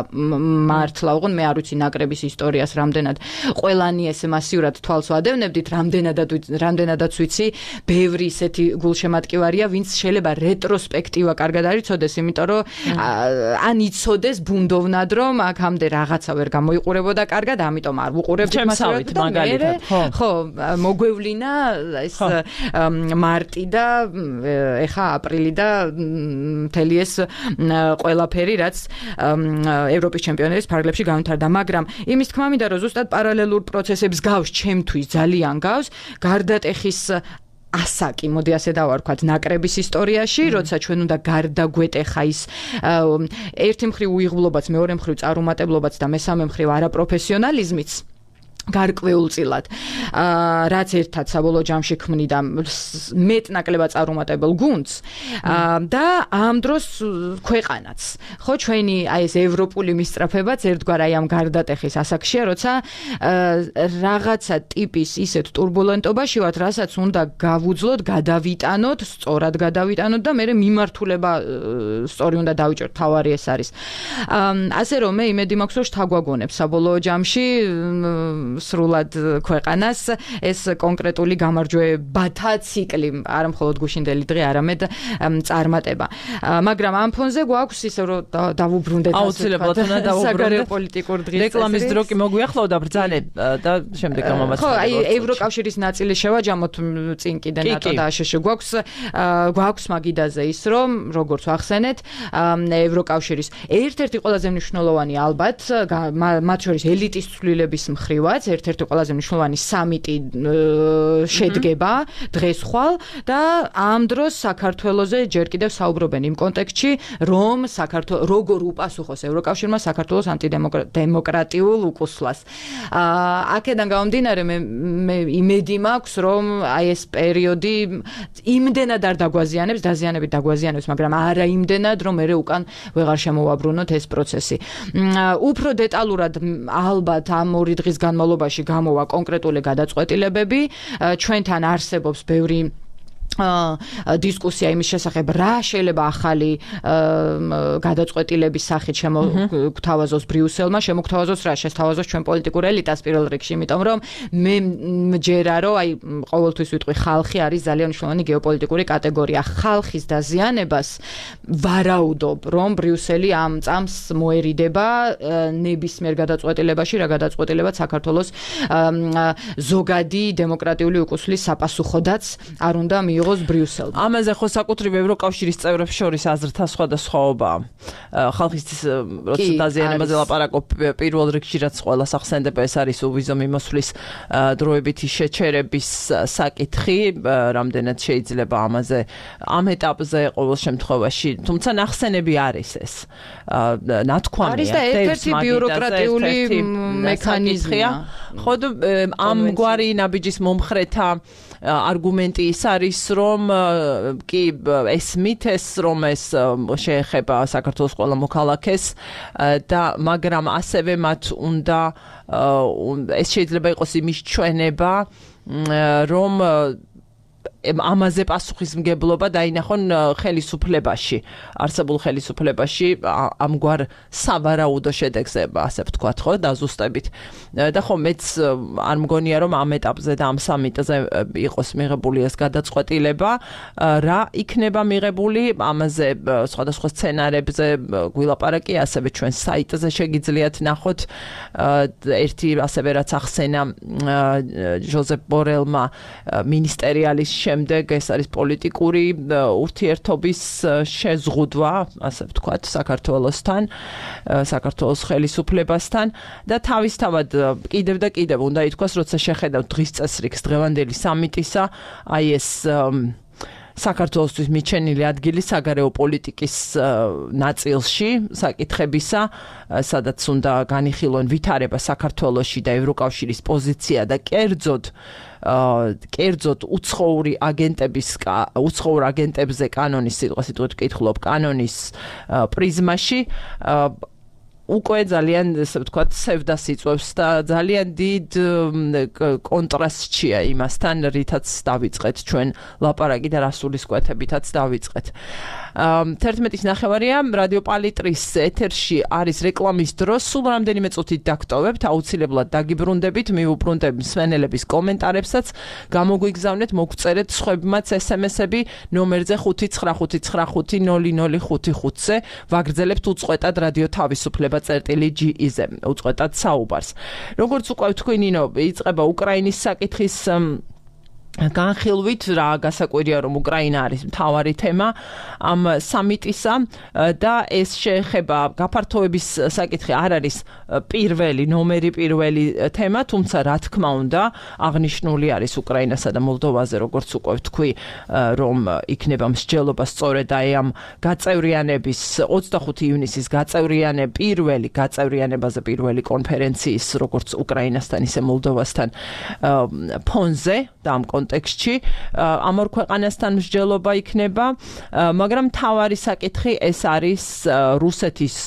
მართლა უყურე, მე არ ვიცი ნაკრების ისტორიას რამდენად ყველანი ესე მასიურად თვალს ვადევნებდით, რამდენადაც ვიცი, ბევრი ისეთი გულშემატკივარია, ვინც შეიძლება რეტროსპექტივა კარგად არ იცოდეს, იმიტომ რომ ან იცოდეს ბუნდოვნად, რომ აქამდე რაღაცა ვერ გამოიყურებოდა კარგად, ამიტომ არ ვუყურებდით მასიურად და მე ხო, მოგვევლინა ეს მარტი და ეხა აპრილი და მთელი ეს ყველაფერი, რაც ევროპის ჩემპიონატის ფარგლებში განვითარდა, მაგრამ იმის თქმა მინდა, რომ ზუსტად პარალელურ პროცესებს გავს, ჩემთვის ძალიან გავს, გარდატეხის ასაკი, მოდი ასე დავარქვათ, ნაკრების ისტორიაში, როცა ჩვენ უნდა გარდაგვეტეხა ის ერთი მხრივ უიღბლობაც, მეორე მხრივ წარუმატებლობაც და მესამე მხრივ არაპროფესიონალიზმიც გარკვეულწილად, რაც ერთად საბოლოო ჯამში ქმნიდა მეტ-ნაკლებად წარუმატებელ გუნდს და ამ დროს ქვეყანაც. ხო, ჩვენი აი ეს ევროპული მისწრაფებაც ერთგვარ აი ამ გარდატეხის ასაკშია, როცა რაღაცა ტიპის ისეთ ტურბულენტობაში ვართ, რასაც უნდა გავუძლოთ, გადავიტანოთ, სწორად გადავიტანოთ და მე მიმართულება სწორი უნდა დავიჭერთ, თავარი ეს არის. ასე რომ მე იმედი მაქვს, რომ შთაგვაგონებს საბოლოო ჯამში სრულად ქვეყანას ეს კონკრეტული გამარჯვებათა ციკლი, არა მხოლოდ გუშინდელი დღე, არამედ წარმატება. მაგრამ ამ ფონზე გვაქვს ისე რომ დავუბრუნდეთ აუცილებლად უნდა დავუბრუნდეთ პოლიტიკურ დღის რეკლამის დრო კი მოგვიახლოვდა ბრძანე და შემდეგ გამომაცხადება. ხო, აი ევროკავშირის ნაწილი შევაჯამოთ წინ კიდე ნატო და აშშ გვაქვს მაგიდაზე ის რომ როგორც ვახსენეთ ევროკავშირის ერთ-ერთი ყველაზე მნიშვნელოვანი ალბათ მათ შორის ელიტის ცვლილების მხრივაც ერთ-ერთი ყველაზე მნიშვნელოვანი სამიტი შედგება დღეს ხვალ და ამ დროს საქართველოზე ჯერ კიდევ საუბრობენ იმ კონტექსტში, რომ საქართველოს როგორ უპასუხოს ევროკავშირმა საქართველოს ანტიდემოკრატიულ უკუსლას. აქედან გამომდინარე მე იმედი მაქვს, რომ აი ეს პერიოდი იმდენად არ დაგვაზიანებს, დაზიანებით დაგვაზიანებს, მაგრამ არა იმდენად, რომ მე უკან ვეღარ შემოვაბრუნოთ ეს პროცესი. უფრო დეტალურად ალბათ ამ ორი დღის განმავლობაში გამოვა კონკრეტული გადაწყვეტილებები, ჩვენთან არსებობს ბევრი დისკუსია იმის შესახებ, რა შეიძლება ახალი გადაწყვეტილების სახით შემოგთავაზოს ბრიუსელმა, შემოგთავაზოს რა, შესთავაზოს ჩვენ პოლიტიკურ ელიტას პირველ რიგში, იმიტომ რომ მე მჯერა, რომ აი ყოველთვის ვიტყვი, ხალხი არის ძალიან მნიშვნელოვანი გეოპოლიტიკური კატეგორია. ხალხის დაზიანებას ვარაუდობ, რომ ბრიუსელი ამ წამს მოერიდება ნებისმიერ გადაწყვეტილებაში, რა გადაწყვეტილებაც საქართველოს ზოგადი დემოკრატიული უკუსლის საპასუხოდაც არ უნდა მიიღოს ბრიუსელმა. ამაზე ხო საკუთრივ ევროკავშირის წევრებს შორის აზრთა სხვადასხვაობაა. ხალხის როცა დაზიანებაზე ლაპარაკობ, პირველ რიგში რაც ყველას ახსენდება, ეს არის უვიზო მიმოსვლის დროებითი შეჩერების საკითხი, რამდენად შეიძლება ამაზე ამ ეტაპზე ყოველ შემთხვევაში, თუმცა ნახსენები არის ეს. ნათქვამია, არის და ერთ-ერთი ბიუროკრატიული მექანიზმია. ხო, ამგვარი ნაბიჯის მომხრეთა არგუმენტი ის არის, რომ კი ესმით ეს, რომ ეს შეეხება საქართველოს ყველა მოქალაქეს და მაგრამ ასევე მათ უნდა ეს შეიძლება იყოს იმის ჩვენება რომ ამაზე პასუხისმგებლობა დაინახონ ხელისუფლებაში, არსებულ ხელისუფლებაში ამგვარ სავარაუდო შედეგზე, ასე ვთქვათ, ხო, დაზუსტებით. და ხო, მეც არ მგონია, რომ ამ ეტაპზე და ამ სამიტზე იყოს მიღებული ეს გადაწყვეტილება, რა იქნება მიღებული, ამაზე სხვადასხვა სცენარებზე გვილაპარაკი, ასევე ჩვენ საიტზე შეგიძლიათ ნახოთ ერთი ასევე რაც ახსენა ჟოზეფ ბორელმა მინისტერიალის შემდეგ ეს არის პოლიტიკური ურთიერთობის შეზღუდვა, ასე ვთქვათ, საქართველოსთან, საქართველოს ხელისუფლებასთან და თავისთავად კიდევ და კიდევ უნდა ითქვას, როცა შეხედავთ დღის წესრიგს დღევანდელი სამიტისა, აი ეს საქართველოსთვის მიჩენილი ადგილი საგარეო პოლიტიკის ნაწილში საკითხებისა, სადაც უნდა განიხილონ ვითარება საქართველოში და ევროკავშირის პოზიცია და კერძოდ უცხოური აგენტებზე კანონის სიტყვასიტყვით ვკითხულობ კანონის პრიზმაში უკვე ძალიან, ესე ვთქვათ, სევდას იწვევს და ძალიან დიდ კონტრასტშია იმასთან, რითაც დავიწყეთ ჩვენ ლაპარაკი და რასულისკვეთებითაც დავიწყეთ. 11:09 რადიო პალიტრის ეთერში არის რეკლამის დრო, სულ რამდენიმე წუთით დაგტოვებთ, აუცილებლად დაგიბრუნდებით, მივუბრუნდებ მსმენელების კომენტარებსაც, გამოგვიგზავნეთ, მოგწერეთ სხვებმაც SMS-ები ნომერზე 5955005-ზე, ვაგრძელებთ უწყვეტად რადიო თავისუფლება.ge-ზე, უწყვეტად საუბარს. როგორც უკვე თქვი, ნინო, იწყება უკრაინის საკითხის განხილვით, რა გასაკვირია, რომ უკრაინა არის მთავარი თემა ამ სამიტისა და ეს შეეხება გაფართოების საკითხი არ არის ნომერი პირველი თემა, თუმცა რა თქმა უნდა, აღნიშნული არის უკრაინასა და მოლდოვაზე, როგორც უკვე ვთქვი, რომ იქნება მსჯელობა სწორედ აი ამ გაწევრიანების 25 ივნისის გაწევრიანებაზე პირველი კონფერენციის, როგორც უკრაინასთან, ისე მოლდოვასთან ფონზე და ამ კონტექსტში ამ ორ ქვეყანასთან მსჯელობა იქნება, მაგრამ მთავარი საკითხი ეს არის რუსეთის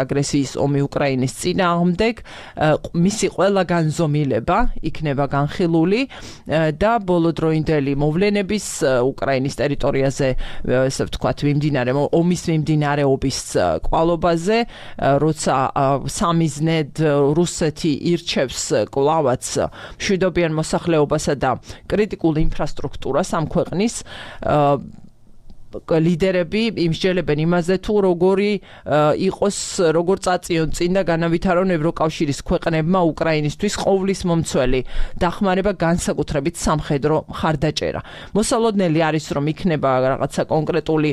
აგრესიის ომი უკრაინის წინააღმდეგ, მისი ყველა განზომილება იქნება განხილული და ბოლოდროინდელი მოვლენების უკრაინის ტერიტორიაზე, ესე ვთქვათ, ომის მიმდინარეობის კვალობაზე, როცა სამიზნედ რუსეთი ირჩევს კლავაც მშვიდობიან მოსახლეობასა და კრიტიკულ ინფრასტრუქტურას ამ ქვეყნის ლიდერები იმსჯელებენ იმაზე თუ როგორ წაწიონ წინ და განავითარონ ევროკავშირის ქვეყნებმა უკრაინისთვის ყოვლის მომცველი დახმარება, განსაკუთრებით სამხედრო მხარდაჭერა. მოსალოდნელი არის, რომ იქნება რაღაცა კონკრეტული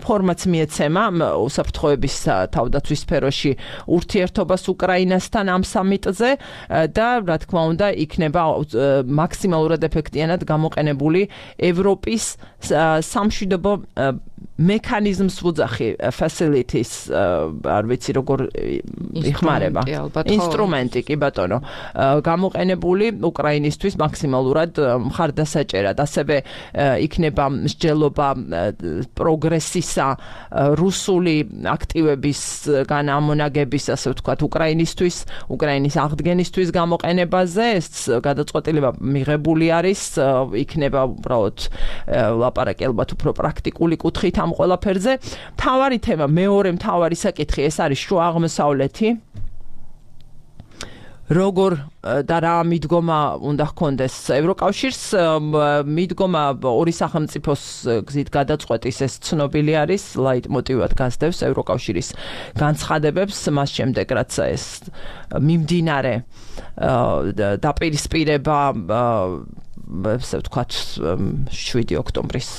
ფორმაც მიეცემა უსაფრთხოების თავდაცვის სფეროში ურთიერთობას უკრაინასთან ამ სამიტზე და რა თქმა უნდა იქნება მაქსიმალურად ეფექტიანად გამოყენებული ევროპის სამშვიდობო მექანიზმს ვუძახი facilities არ ვიცი როგორ იხმარება ინსტრუმენტი კი ბატონო გამოყენებული უკრაინისთვის მაქსიმალურად მხარდასაჭერად ასევე იქნება მსჯელობა პროგრესისა რუსული აქტივების განამონაგების ასე ვთქვათ უკრაინის აღდგენისთვის გამოყენებაზე ეს გადაწყვეტილება მიღებული არის იქნება უბრალოდ ლაპარაკი ალბათ უფრო პრაქტიკული კუთხით ამ ყველაფერზე. მთავარი თემა, მეორე მთავარი საკითხი ეს არის შუა აღმოსავლეთი. როგორ და რა მიდგომა უნდა ჰქონდეს ევროკავშირს, მიდგომა ორი სახელმწიფოს გზით გადაწყვეტის ეს ცნობილი არის, ლაიტმოტივად გასდევს ევროკავშირის განცხადებებს, მას შემდეგ რაც ეს მიმდინარე დაპირისპირება ესე ვთქვათ 7 ოქტომბრის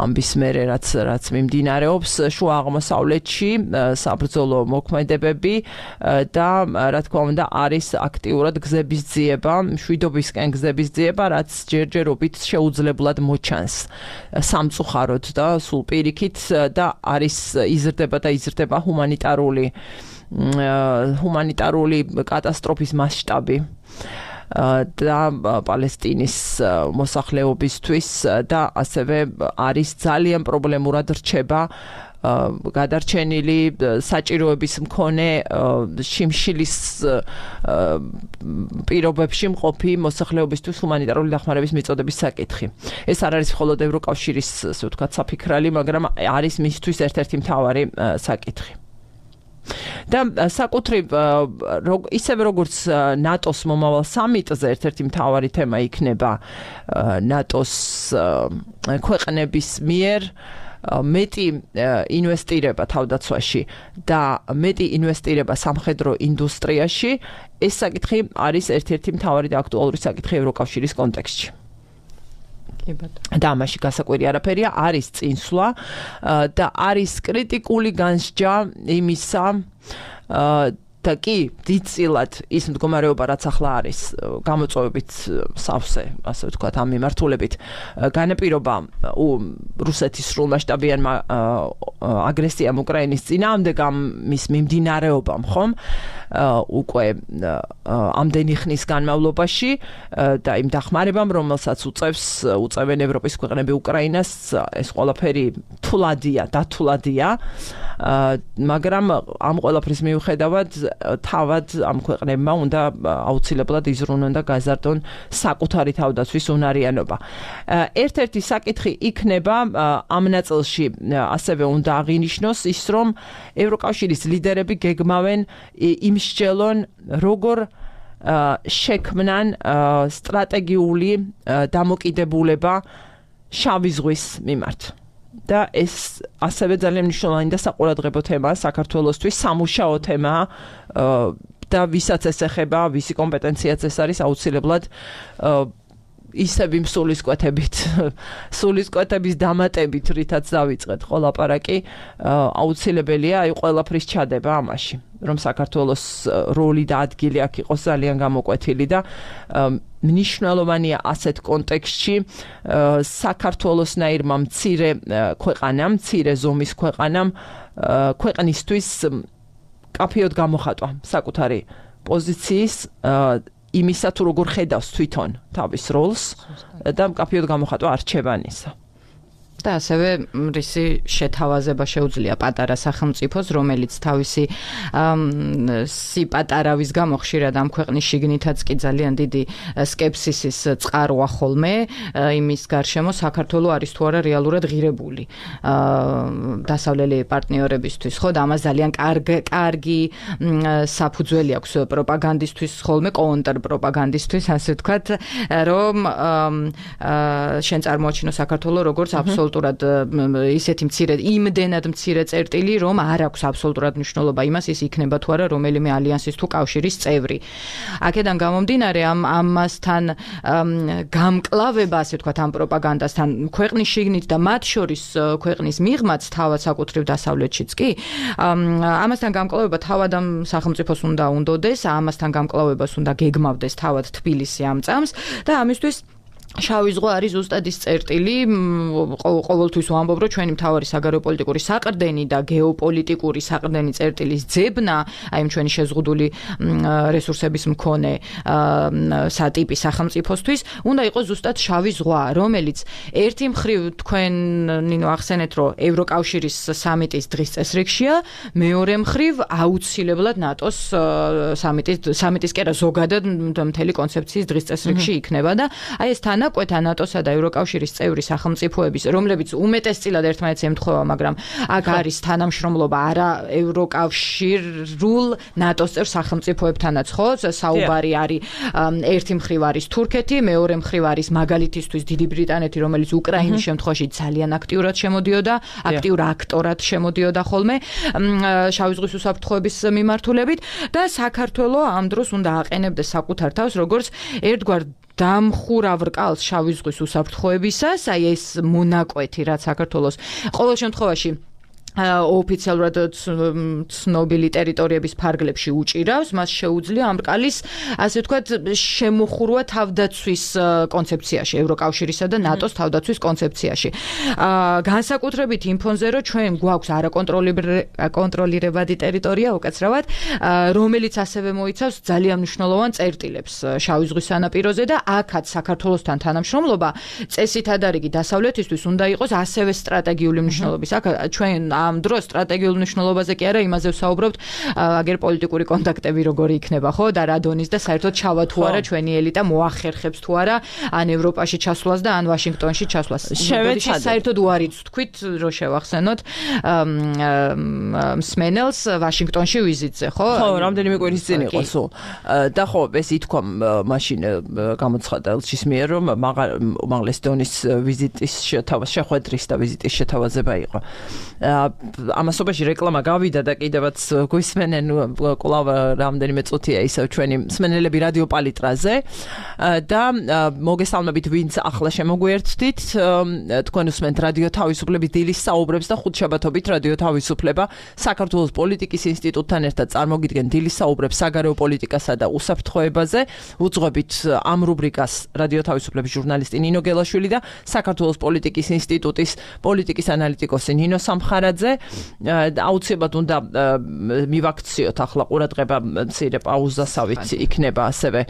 ამბის მერე რაც მიმდინარეობს შუა აღმოსავლეთში საბრძოლო მოქმედებები და რა თქმა უნდა არის აქტიურად გზების ძიება, მშვიდობისკენ გზების ძიება, რაც ჯერჯერობით შეუძლებლად მოჩანს სამწუხაროდ და სულ პირიქით და არის იზრდება ჰუმანიტარული კატასტროფის მასშტაბი და პალესტინის მოსახლეობისთვის და ასევე არის ძალიან პრობლემურად რჩება გადარჩენილი საჭიროების მქონე შიმშილის პირობებში მყოფი მოსახლეობისთვის ჰუმანიტარული დახმარების მიწოდების საკითხი. ეს არ არის მხოლოდ ევროკავშირის, ასე ვთქვათ, საფიქრალი, მაგრამ არის მისთვის ერთ-ერთი მთავარი საკითხი. და საკუთრივ ისევე როგორც ნატოს მომავალ სამიტზე ერთ-ერთი მთავარი თემა იქნება ნატოს ქვეყნების მიერ მეტი ინვესტირება თავდაცვაში და მეტი ინვესტირება სამხედრო ინდუსტრიაში, ეს საკითხი არის ერთ-ერთი მთავარი და აქტუალური საკითხი ევროკავშირის კონტექსტში. და ამაში გასაკვირი არაფერია, არის წინსვლა და არის კრიტიკული განსჯა იმისა და კი დიდწილად ის მდგომარეობა, რაც ახლა არის გამოწვევებით სავსე, ასე ვთქვათ, ამ მიმართულებით განაპირობა რუსეთის სრულმასშტაბიანმა აგრესიამ უკრაინის წინააღმდეგ მის მიმდინარეობამ, ხომ? უკვე ამდენი ხნის განმავლობაში და იმ დახმარებამ, რომელსაც უწევენ ევროპის ქვეყნები უკრაინას, ეს ყველაფერი დათულადია, მაგრამ ამ ყველაფრის მიუხედავად თავად ამ ქვეყნებმა უნდა აუცილებლად იზრუნონ და გაზარდონ საკუთარი თავდაცვის უნარიანობა. ერთ-ერთი საკითხი იქნება ამ ნაწილში ასევე უნდა აღინიშნოს ის, რომ ევროკავშირის ლიდერები გეგმავენ იმსჯელონ, როგორ შექმნან სტრატეგიული დამოკიდებულება შავი ზღვის მიმართ. და ეს ასევე ძალიან მნიშვნელოვანი და საყურადღებო თემაა საქართველოსთვის, სამუშაო თემაა და ვისაც ეს ეხება, ვისი კომპეტენციაც ეს არის, აუცილებლად ისევ იმ სულისკვეთების დამატებით, რითაც დავიწყეთ ხო ლაპარაკი, აუცილებელია აი ყველაფრის ჩადება ამაში, რომ საქართველოს როლი და ადგილი აქ იყოს ძალიან გამოკვეთილი და მნიშვნელოვანია ასეთ კონტექსტში საქართველოსნაირმა მცირე ქვეყანამ, მცირე ზომის ქვეყნისთვის კაფეოდ გამოხატვა საკუთარი პოზიციის იმისა თუ როგორ ხედავს თვითონ თავის როლს და კაფეოდ გამოხატვა არჩევანისა. და ასევე რისი შეთავაზება შეუძლია პატარა სახელმწიფოს, რომელიც თავისი სიპატარავის გამო ხშირად ამ ქვეყნის შიგნითაც კი ძალიან დიდი სკეპსისის წყაროა ხოლმე იმის გარშემო საქართველო არის თუ არა რეალურად ღირებული დასავლელი პარტნიორებისთვის, ხო? და ამას ძალიან კარგი საფუძველი აქვს პროპაგანდისტვის, ხოლმე კონტრპროპაგანდისტვის, ასე ვთქვათ, რომ შენ წარმოაჩინო საქართველო როგორც აბსოლუტურად ისეთი მცირე, იმდენად მცირე წერტილი, რომ არ აქვს აბსოლუტურად მნიშვნელობა იმას, ის იქნება თუ არა რომელიმე ალიანსის თუ კავშირის წევრი. აქედან გამომდინარე, ამასთან გამკლავება, ასე ვთქვათ, ამ პროპაგანდასთან ქვეყნის შიგნით და მათ შორის ქვეყნის მიღმაც თავად საკუთრივ დასავლეთშიც კი, ამასთან გამკლავება თავად ამ სახელმწიფოს უნდა უნდოდეს, ამასთან გამკლავებას უნდა გეგმავდეს თავად თბილისი ამ წამს და ამისთვის შავი ზღვა არის ზუსტად ის წერტილი, ყოველთვის ვამბობ, რომ ჩვენი მთავარი საგარეო პოლიტიკური საყრდენი და გეოპოლიტიკური საყრდენი წერტილის ძებნა, აი ჩვენი შეზღუდული რესურსების მქონე სატიპი სახელმწიფოსთვის, უნდა იყოს ზუსტად შავი ზღვა, რომელიც ერთი მხრივ თქვენ ნინო ახსენეთ, რომ ევროკავშირის სამიტის დღის წესრიგშია, მეორე მხრივ აუცილებლად ნატოს სამიტის კი არა ზოგადად მთელი კონცეფციის დღის წესრიგში იქნება და აი ეს თანაკვეთა ნატოსა და ევროკავშირის წევრი სახელმწიფოების, რომლებიც უმეტესწილად ერთმანეთს ემთხვევა, მაგრამ აქ არის თანამშრომლობა არა ევროკავშირულ ნატოს წევრ სახელმწიფოებთანაც, ხო? საუბარი არის ერთი მხრივ არის თურქეთი, მეორე მხრივ არის მაგალითისთვის დიდი ბრიტანეთი, რომელიც უკრაინის შემთხვევაში ძალიან აქტიურად შემოდიოდა, აქტიურ აქტორად შემოდიოდა ხოლმე შავი ზღვის უსაფრთხოების მიმართულებით და საქართველო ამ დროს უნდა აყენებდეს საკუთარ თავს როგორც ერთგვარ დამხურავ რკალს შავი ზღვის უსაფრთხოებისას, აი ეს მონაკვეთი, რაც საქართველოს ყოველ შემთხვევაში ოფიციალურად ცნობილი ტერიტორიების ფარგლებში უჭირავს, მას შეუძლია ამ რკალის, ასე ვთქვათ, შემოხურვა თავდაცვის კონცეფციაში, ევროკავშირისა და ნატოს თავდაცვის კონცეფციაში. განსაკუთრებით იმ ფონზე, რომ ჩვენ გვაქვს არაკონტროლირებადი ტერიტორია, უკაცრავად, რომელიც ასევე მოიცავს ძალიან მნიშვნელოვან წერტილებს შავი ზღვის სანაპიროზე და აქაც საქართველოსთან თანამშრომლობა წესითადარიგი დასავლეთისთვის უნდა იყოს ასევე სტრატეგიული მნიშვნელობის. აქ ჩვენ ამ დროს სტრატეგიულ მნიშვნელობაზე კი არა, იმაზე ვსაუბრობთ, აგერ პოლიტიკური კონტაქტები როგორი იქნება, ხო? და რა დონის და საერთოდ ჩავა თუ არა ჩვენი ელიტა მოახერხებს თუ არა ან ევროპაში ჩასვლას და ან ვაშინგტონში ჩასვლას. საერთოდ უარიც თქვით, რომ შევახსენოთ მსმენელს ვაშინგტონში ვიზიტზე, ხო? ხო, რამდენიმე კვირის წინ იყო სულ. და ხო, ეს ითქვა მაშინ გამოცხადა ელჩის მიერ, რომ უმაღლეს დონის ვიზიტის შეხვედრის და ვიზიტის შეთავაზება იყო. ამასობაში რეკლამა გავიდა და კიდევაც გვისმენენ კვლავ რამდენიმე წუთია ისევ ჩვენი მსმენელები რადიო პალიტრაზე და მოგესალმებით ვინც ახლა შემოგვიერთდით, თქვენ უსმენთ რადიო თავისუფლების დილის საუბრებს და ხუთშაბათობით რადიო თავისუფლება საქართველოს პოლიტიკის ინსტიტუტთან ერთად წარმოგიდგენ დილის საუბრებს საგარეო პოლიტიკასა და უსაფრთხოებაზე. უძღვებით ამ რუბრიკას რადიო თავისუფლების ჟურნალისტი ნინო გელაშვილი და საქართველოს პოლიტიკის ინსტიტუტის პოლიტიკის ანალიტიკოსი ნინო სამხარაძე. აუცილებლად უნდა მივაქციოთ ახლა ყურადღება მცირე პაუზასავით იქნება ასევე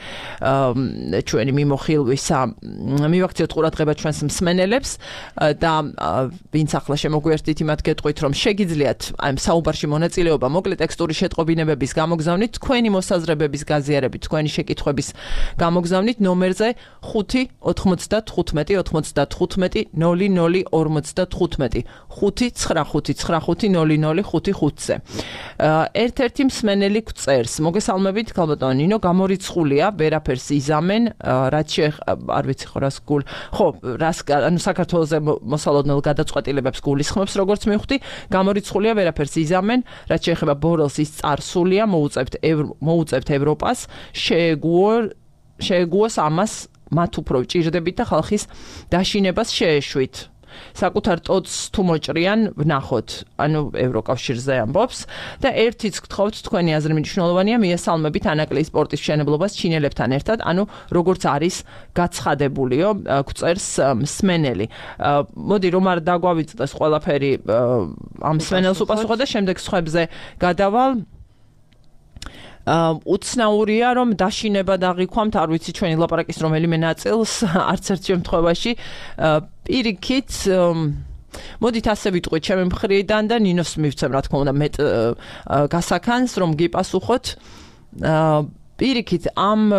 ჩვენი მიმოხილვისა. მივაქციოთ ყურადღება ჩვენს მსმენელებს და ვინც ახლა შემოგვიერთდით იმათ გეტყვით რომ შეგიძლიათ ამ საუბარში მონაწილეობა მოკლე ტექსტური შეტყობინებების გამოგზავნით, თქვენი მოსაზრებების გაზიარებით, თქვენი შეკითხვების გამოგზავნით ნომერზე 5-95-95-00-55-00-55-00-55-ზე. 5-9-5-9-5-0-0-5-5-ზე. ერთ-ერთი მსმენელი გვწერს, მოგესალმებით, ქალბატონო ნინო, გამორიცხულია, ვერაფერს იზამენ, რაც არ ვიცი ხო რას გულ. ხო, ანუ საქართველოს მოსალოდნელ გადაწყვეტილებებს გულისხმობს, როგორც მივხვდი, გამორიცხულია, ვერაფერს იზამენ, რაც შეეხება ბორელს ის წარსულია, მოუწევთ ევროპას, შეეგუოს ამას მათ უფრო ჭირდებით და ხალხის დაშინებას შეეშვით. საკუთარ ტოტს თუ მოჭრიან ვნახოთ, ანუ ევროკავშირზე ამბობს და ერთიც გთხოვთ, თქვენი აზრი მნიშვნელოვანია, მიესალმებით ანაკლიის სპორტის მშენებლობას ჩინელებთან ერთად, ანუ როგორც არის გაცხადებულიო, გვწერს მსმენელი. მოდი რომ არ დაგვავიწყდეს ყველაფერი ამ მსმენელს უპასუხო და შემდეგ სხვებზე გადავალ. უცნაურია რომ დაშინება დაღიქვამთ, არ ვიცი ჩვენი ლაპარაკის რომელიმე ნაწილს, არც ერთ შემთხვევაში პირიქით მოდით ასე ვიტყვით ჩემი მხრიდან და ნინოს მივცემ რა თქმა უნდა მეტ გასახანს რომ გიპასუხოთ. პირიქით ამ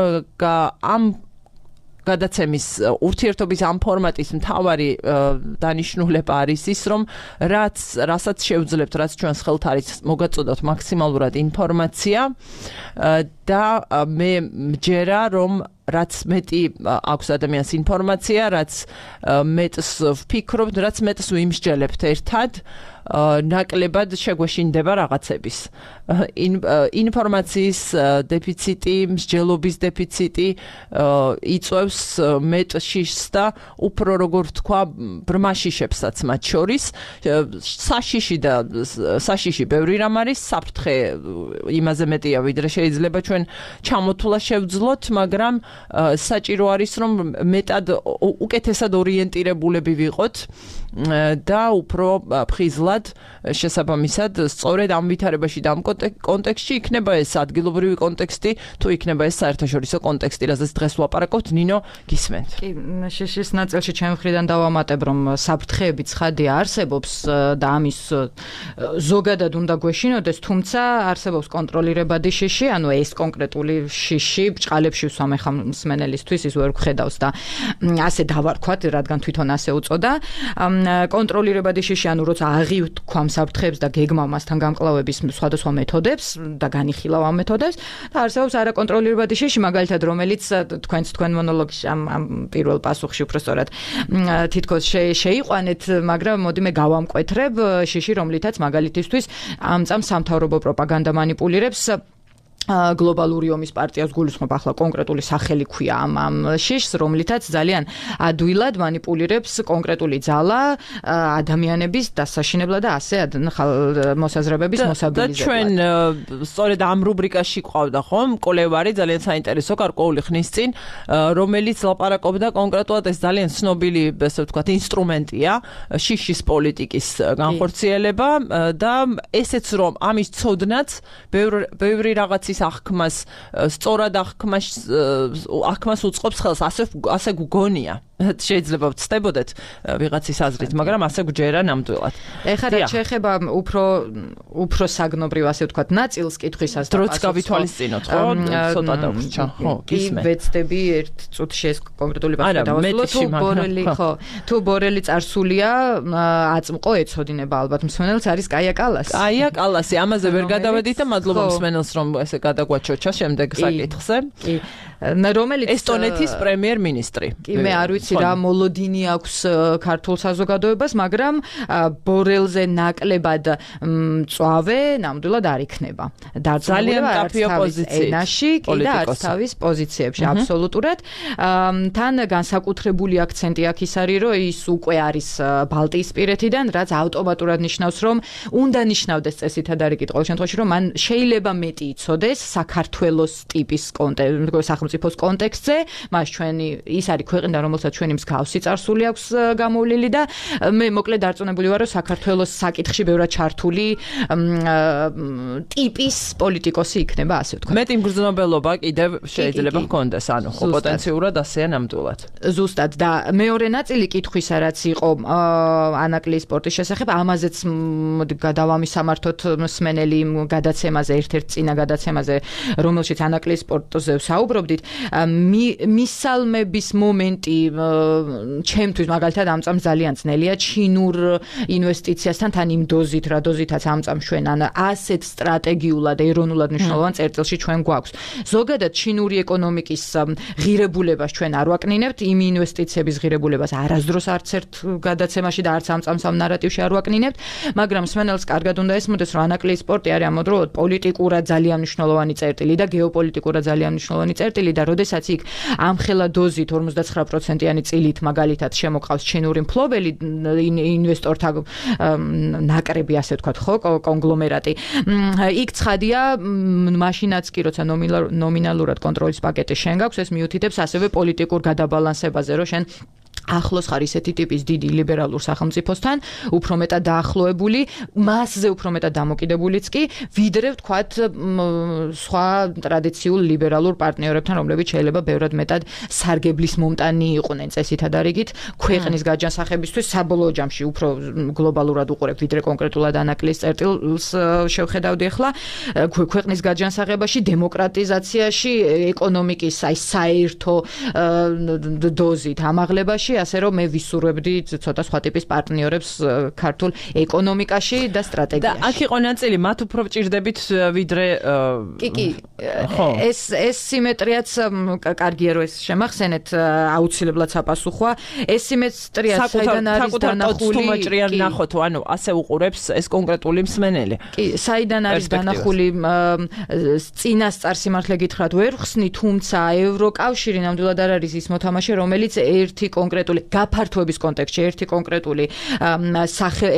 გადაცემის ურთიერთობის ამ ფორმატის მთავარი დანიშნულება არის ის, რომ რასაც შევძლებთ, რაც ჩვენს ხელთ არის, მოგაწოდოთ მაქსიმალურად ინფორმაცია და მე მჯერა, რომ რაც მეტი აქვს ადამიანს ინფორმაცია, რაც მეტს ვფიქრობთ, რაც მეტს ვიმსჯელებთ ერთად, ნაკლებად შეგვეშინდება რაღაცების. ინფორმაციის დეფიციტი, მსჯელობის დეფიციტი იწვევს მეტ შიშს და უფრო როგორ ვთქვა, ბრმა შიშებსაც მათ შორის. საშიში ბევრი რამ არის, საფრთხე იმაზე მეტია, ვიდრე შეიძლება ჩვენ ჩამოთვლა შევძლოთ, მაგრამ საჭირო არის, რომ მეტად უკეთესად ორიენტირებულები ვიყოთ და უფრო ფხიზლად შესაბამისად სწორედ ამ ვითარებაში და ამ კონტექსტში იქნება ეს ადგილობრივი კონტექსტი, თუ იქნება ეს საერთაშორისო კონტექსტი, რაზეც დღეს ვლაპარაკობთ, ნინო, გისმენთ. კი, შიშის ნაწილში ჩემი მხრიდან დავამატებ, რომ საფრთხეები ცხადია არსებობს და ამის ზოგადად უნდა გვეშინოდეს, თუმცა არსებობს კონტროლირებადი შიში, ანუ ეს კონკრეტული შიში ბჭყალებში ვსვამ ხა მსმენელისთვის ის ვერ გხედავს და ასე დავარქვათ, რადგან თვითონ ასე უწოდა. კონტროლირებადი შიში, ანუ როცა აღივთქვამ საფრთხეებს და გეგმავ მასთან გამკლავების სხვადასხვა მეთოდებს და განიხილავ ამ მეთოდებს და არსებობს არაკონტროლირებადი შიში, მაგალითად, რომელიც თქვენ მონოლოგში ამ პირველ პასუხში უფრო სწორად თითქოს შეიყვანეთ, მაგრამ მოდი მე გავამკვეთრებ შიში, რომლითაც მაგალითისთვის ამ წამს სამთავრობო პროპაგანდა манипуლირებს გლობალური ომის პარტიას გულისხმობ ახლა კონკრეტული სახელი ქვია ამ შიშს, რომლითაც ძალიან ადვილად манипуლირებს კონკრეტული ძალა ადამიანების დასაშინებლად და ასე მოსაზრებების მოსაბილიზებლად. და ჩვენ სწორედ ამ რუბრიკაში ყავდა ხომ კოლევარი ძალიან საინტერესო გარკვეული ხნის წინ, რომელიც ლაპარაკობდა კონკრეტულად ეს ძალიან ცნობილი, ესე ვთქვათ, ინსტრუმენტია შიშის პოლიტიკის განხორციელება და ესეც რომ ამის ცოდნაც ბევრი რაღაც აღქმას სწორად აღქმას უწყობს ხელს, ასე გგონია. შეიძლება ვწდებოდეთ ვიღაცის აზრით, მაგრამ ასე გვჯერა ნამდვილად. ეხლა რაც შეეხება უფრო საგნობრივ ასე ვთქვათ ნაწილს კითხვისას და დროც გავითვალისწინოთ, ხო? ცოტა დავრჩა, ხო, გისმენ. ვეცდები ერთ წუთში ეს კონკრეტული პასუხი დავასრულო. თუ ბორელი წარსულია, აწმყო ეცოდინება ალბათ მსმენელს არის კაია კალასი. კაია კალასი, ამაზე ვერ გადავედით და მადლობა მსმენელს რომ ესე გადაგვაჩოჩა შემდეგ საკითხზე. კი. რომელიც ესტონეთის პრემიერ-მინისტრი. კი, მე არ ვიცი რა მოლოდინი აქვს ქართულ საზოგადოებას, მაგრამ ბორელზე ნაკლებად მწვავე ნამდვილად არ იქნება. ძალიან კაფე ოპოზიცია ენაში, კი და არც თავის პოზიციებში აბსოლუტურად. თან განსაკუთრებული აქცენტი აქ ის არის, რომ ის უკვე არის ბალტიისპირეთიდან, რაც ავტომატურად ნიშნავს, რომ უნდა ნიშნავდეს წესითად არის კი ყოველ შემთხვევაში, რომ მან შეიძლება მეტი იცოდეს საქართველოს ტიპის სახელმწიფოს კონტექსტზე, მას ჩვენი ის არის ქვეყანა, რომელსაც ჩვენი მსგავსი წარსული აქვს გამოვლილი და მე მოკლედ დარწმუნებული ვარ, რომ საქართველოს საკითხში ბევრად ჩართული ტიპის პოლიტიკოსი იქნება, ასე ვთქვათ. მეტი მგრძნობელობა კიდევ შეიძლება ჰქონდეს, ანუ ხო პოტენციურად ასეა ნამდვილად. ზუსტად და მეორე ნაწილი კითხვისა, რაც იყო ანაკლის სპორტის შესახებ, ამაზეც გადავამისამართოთ მსმენელი გადაცემაზე, ერთ-ერთ წინა გადაცემაზე, რომელშიც ანაკლის სპორტზე ვსაუბრობდით, მისალმების მომენტი ჩემთვის მაგალითად ამ წამს ძალიან ძნელია ჩინურ ინვესტიციასთან თან იმ დოზით, რა დოზითაც ამ წამს ჩვენ ან ასეთ სტრატეგიულად ეროვნულად მნიშვნელოვან წერტილში ჩვენ გვაქვს. ზოგადად ჩინური ეკონომიკის ღირებულებას ჩვენ არ ვაკნინებთ, იმ ინვესტიციების ღირებულებას არასდროს არც ერთ გადაცემაში და არც ამ წამს ამ ნარატივში არ ვაკნინებთ, მაგრამ მსმენელს კარგად უნდა ესმოდეს, რომ ანაკლის სპორტი არის ამავდროულად პოლიტიკურად ძალიან მნიშვნელოვანი წერტილი და გეოპოლიტიკურად ძალიან მნიშვნელოვანი წერტილი და როდესაც იქ ამხელა დოზით 59%-იანი წილით მაგალითად შემოყავს ჩინური მფლობელი ინვესტორთა ნაკრები, ასე ვთქვათ, ხო, კონგლომერატი. იქ ცხადია, მაშინაც კი როცა ნომინალურად კონტროლის პაკეტი შენ გაქვს, ეს მიუთითებს ასევე პოლიტიკურ გადაბალანსებაზე, რომ შენ ახლოს ხარ ისეთი ტიპის დიდი ლიბერალურ სახელმწიფოსთან, უფრო მეტად დაახლოებული, მასზე უფრო მეტად დამოკიდებულიც კი, ვიდრე ვთქვათ სხვა ტრადიციულ ლიბერალურ პარტნიორებთან, რომლებიც შეიძლება ბევრად მეტად სარგებლის მომტანი იყვნენ წესითად არიგით, ქვეყნის გაჯანსაღებისთვის საბოლოო ჯამში უფრო გლობალურად უყურებთ, ვიდრე კონკრეტულად ანაკლის წერტილს შევხედავდი ახლა, ქვეყნის გაჯანსაღებაში, დემოკრატიზაციაში, ეკონომიკის აი საერთო დოზით ამაღლებაში, ასე რომ მე ვისურვებდი ცოტა სხვა ტიპის პარტნიორებს ქართულ ეკონომიკაში და სტრატეგიაში. და აქ იყო ნაწილი, მათ უფრო ვჭირდებით ვიდრე კი, ეს სიმეტრიაც კარგია რომ ეს შემახსენეთ, აუცილებლად საპასუხოა. ეს სიმეტრია საიდან არის დანახული? თუმაჭრიან ნახოთ, ანუ ასე უყურებს ეს კონკრეტული მსმენელი. კი, საიდან არის დანახული წინასწარ სიმართლე გითხრათ ვერ ხსნი, თუმცა ევროკავშირი ნამდვილად არ არის ის მოთამაშე, რომელიც ერთი კონკრეტული გაფართოების კონტექსტში ერთი კონკრეტული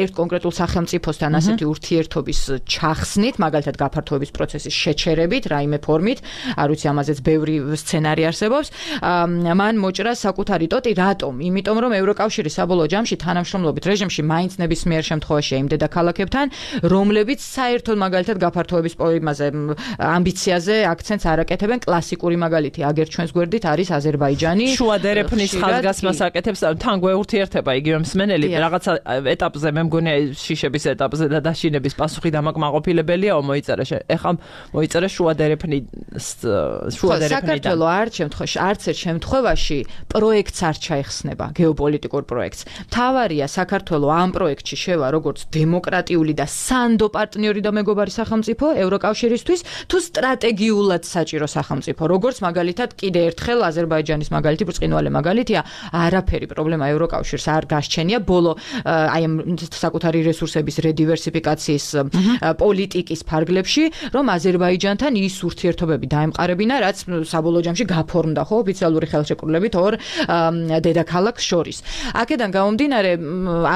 ერთ კონკრეტულ სახელმწიფოსთან ასეთი ურთიერთობის ჩახსნით, მაგალითად გაფართოების პროცესის შეჩერებით, რაიმე ფორმით, არ ვიცი ამაზეც ბევრი სცენარი არსებობს, მან მოჭრა საკუთარი ტოტი, რატომ? იმიტომ რომ ევროკავშირი საბოლოო ჯამში თანამშრომლობით რეჟიმში მაინც ნებისმიერ შემთხვევაში იმ დედაქალაქებთან, რომლებიც საერთოდ მაგალითად გაფართოების იმაზე ამბიციაზე აქცენტს არ აკეთებენ, კლასიკური მაგალითი აგერ ჩვენს გვერდით არის აზერბაიჯანი. შუა დერეფნის ხაზგასმას აკეთებს, თან გვეურთიერთება იგივე მსმენელი, რაღაცა ეტაპზე მე მგონია შიშების ეტაპზე და დაშინების პასუხი დამაკმაყოფილებელიაო მოიწერა. ეხლა მოიწერა შუა დერეფნიდან. საქართველო არც ერთ შემთხვევაში პროექტს არ ჩაიხსნება, გეოპოლიტიკურ პროექტს. მთავარია საქართველო ამ პროექტში შევა როგორც დემოკრატიული და სანდო პარტნიორი და მეგობარი სახელმწიფო ევროკავშირისთვის, თუ სტრატეგიულად საჭირო სახელმწიფო, როგორც მაგალითად კიდე ერთხელ აზერბაიჯანის მაგალითი ბრწყინვალე მაგალითია, არაფერი პრობლემა ევროკავშირს არ გასჩენია ბოლო აი ამ საკუთარი რესურსების რედივერსიფიკაციის პოლიტიკის ფარგლებში, რომ აზერბაიჯანთან ის ურთიერთობები დაემყარებინა, რაც საბოლოო ჯამში გაფორმდა ხო ოფიციალური ხელშეკრულებით ორ დედაქალაქს შორის. აქედან გამომდინარე,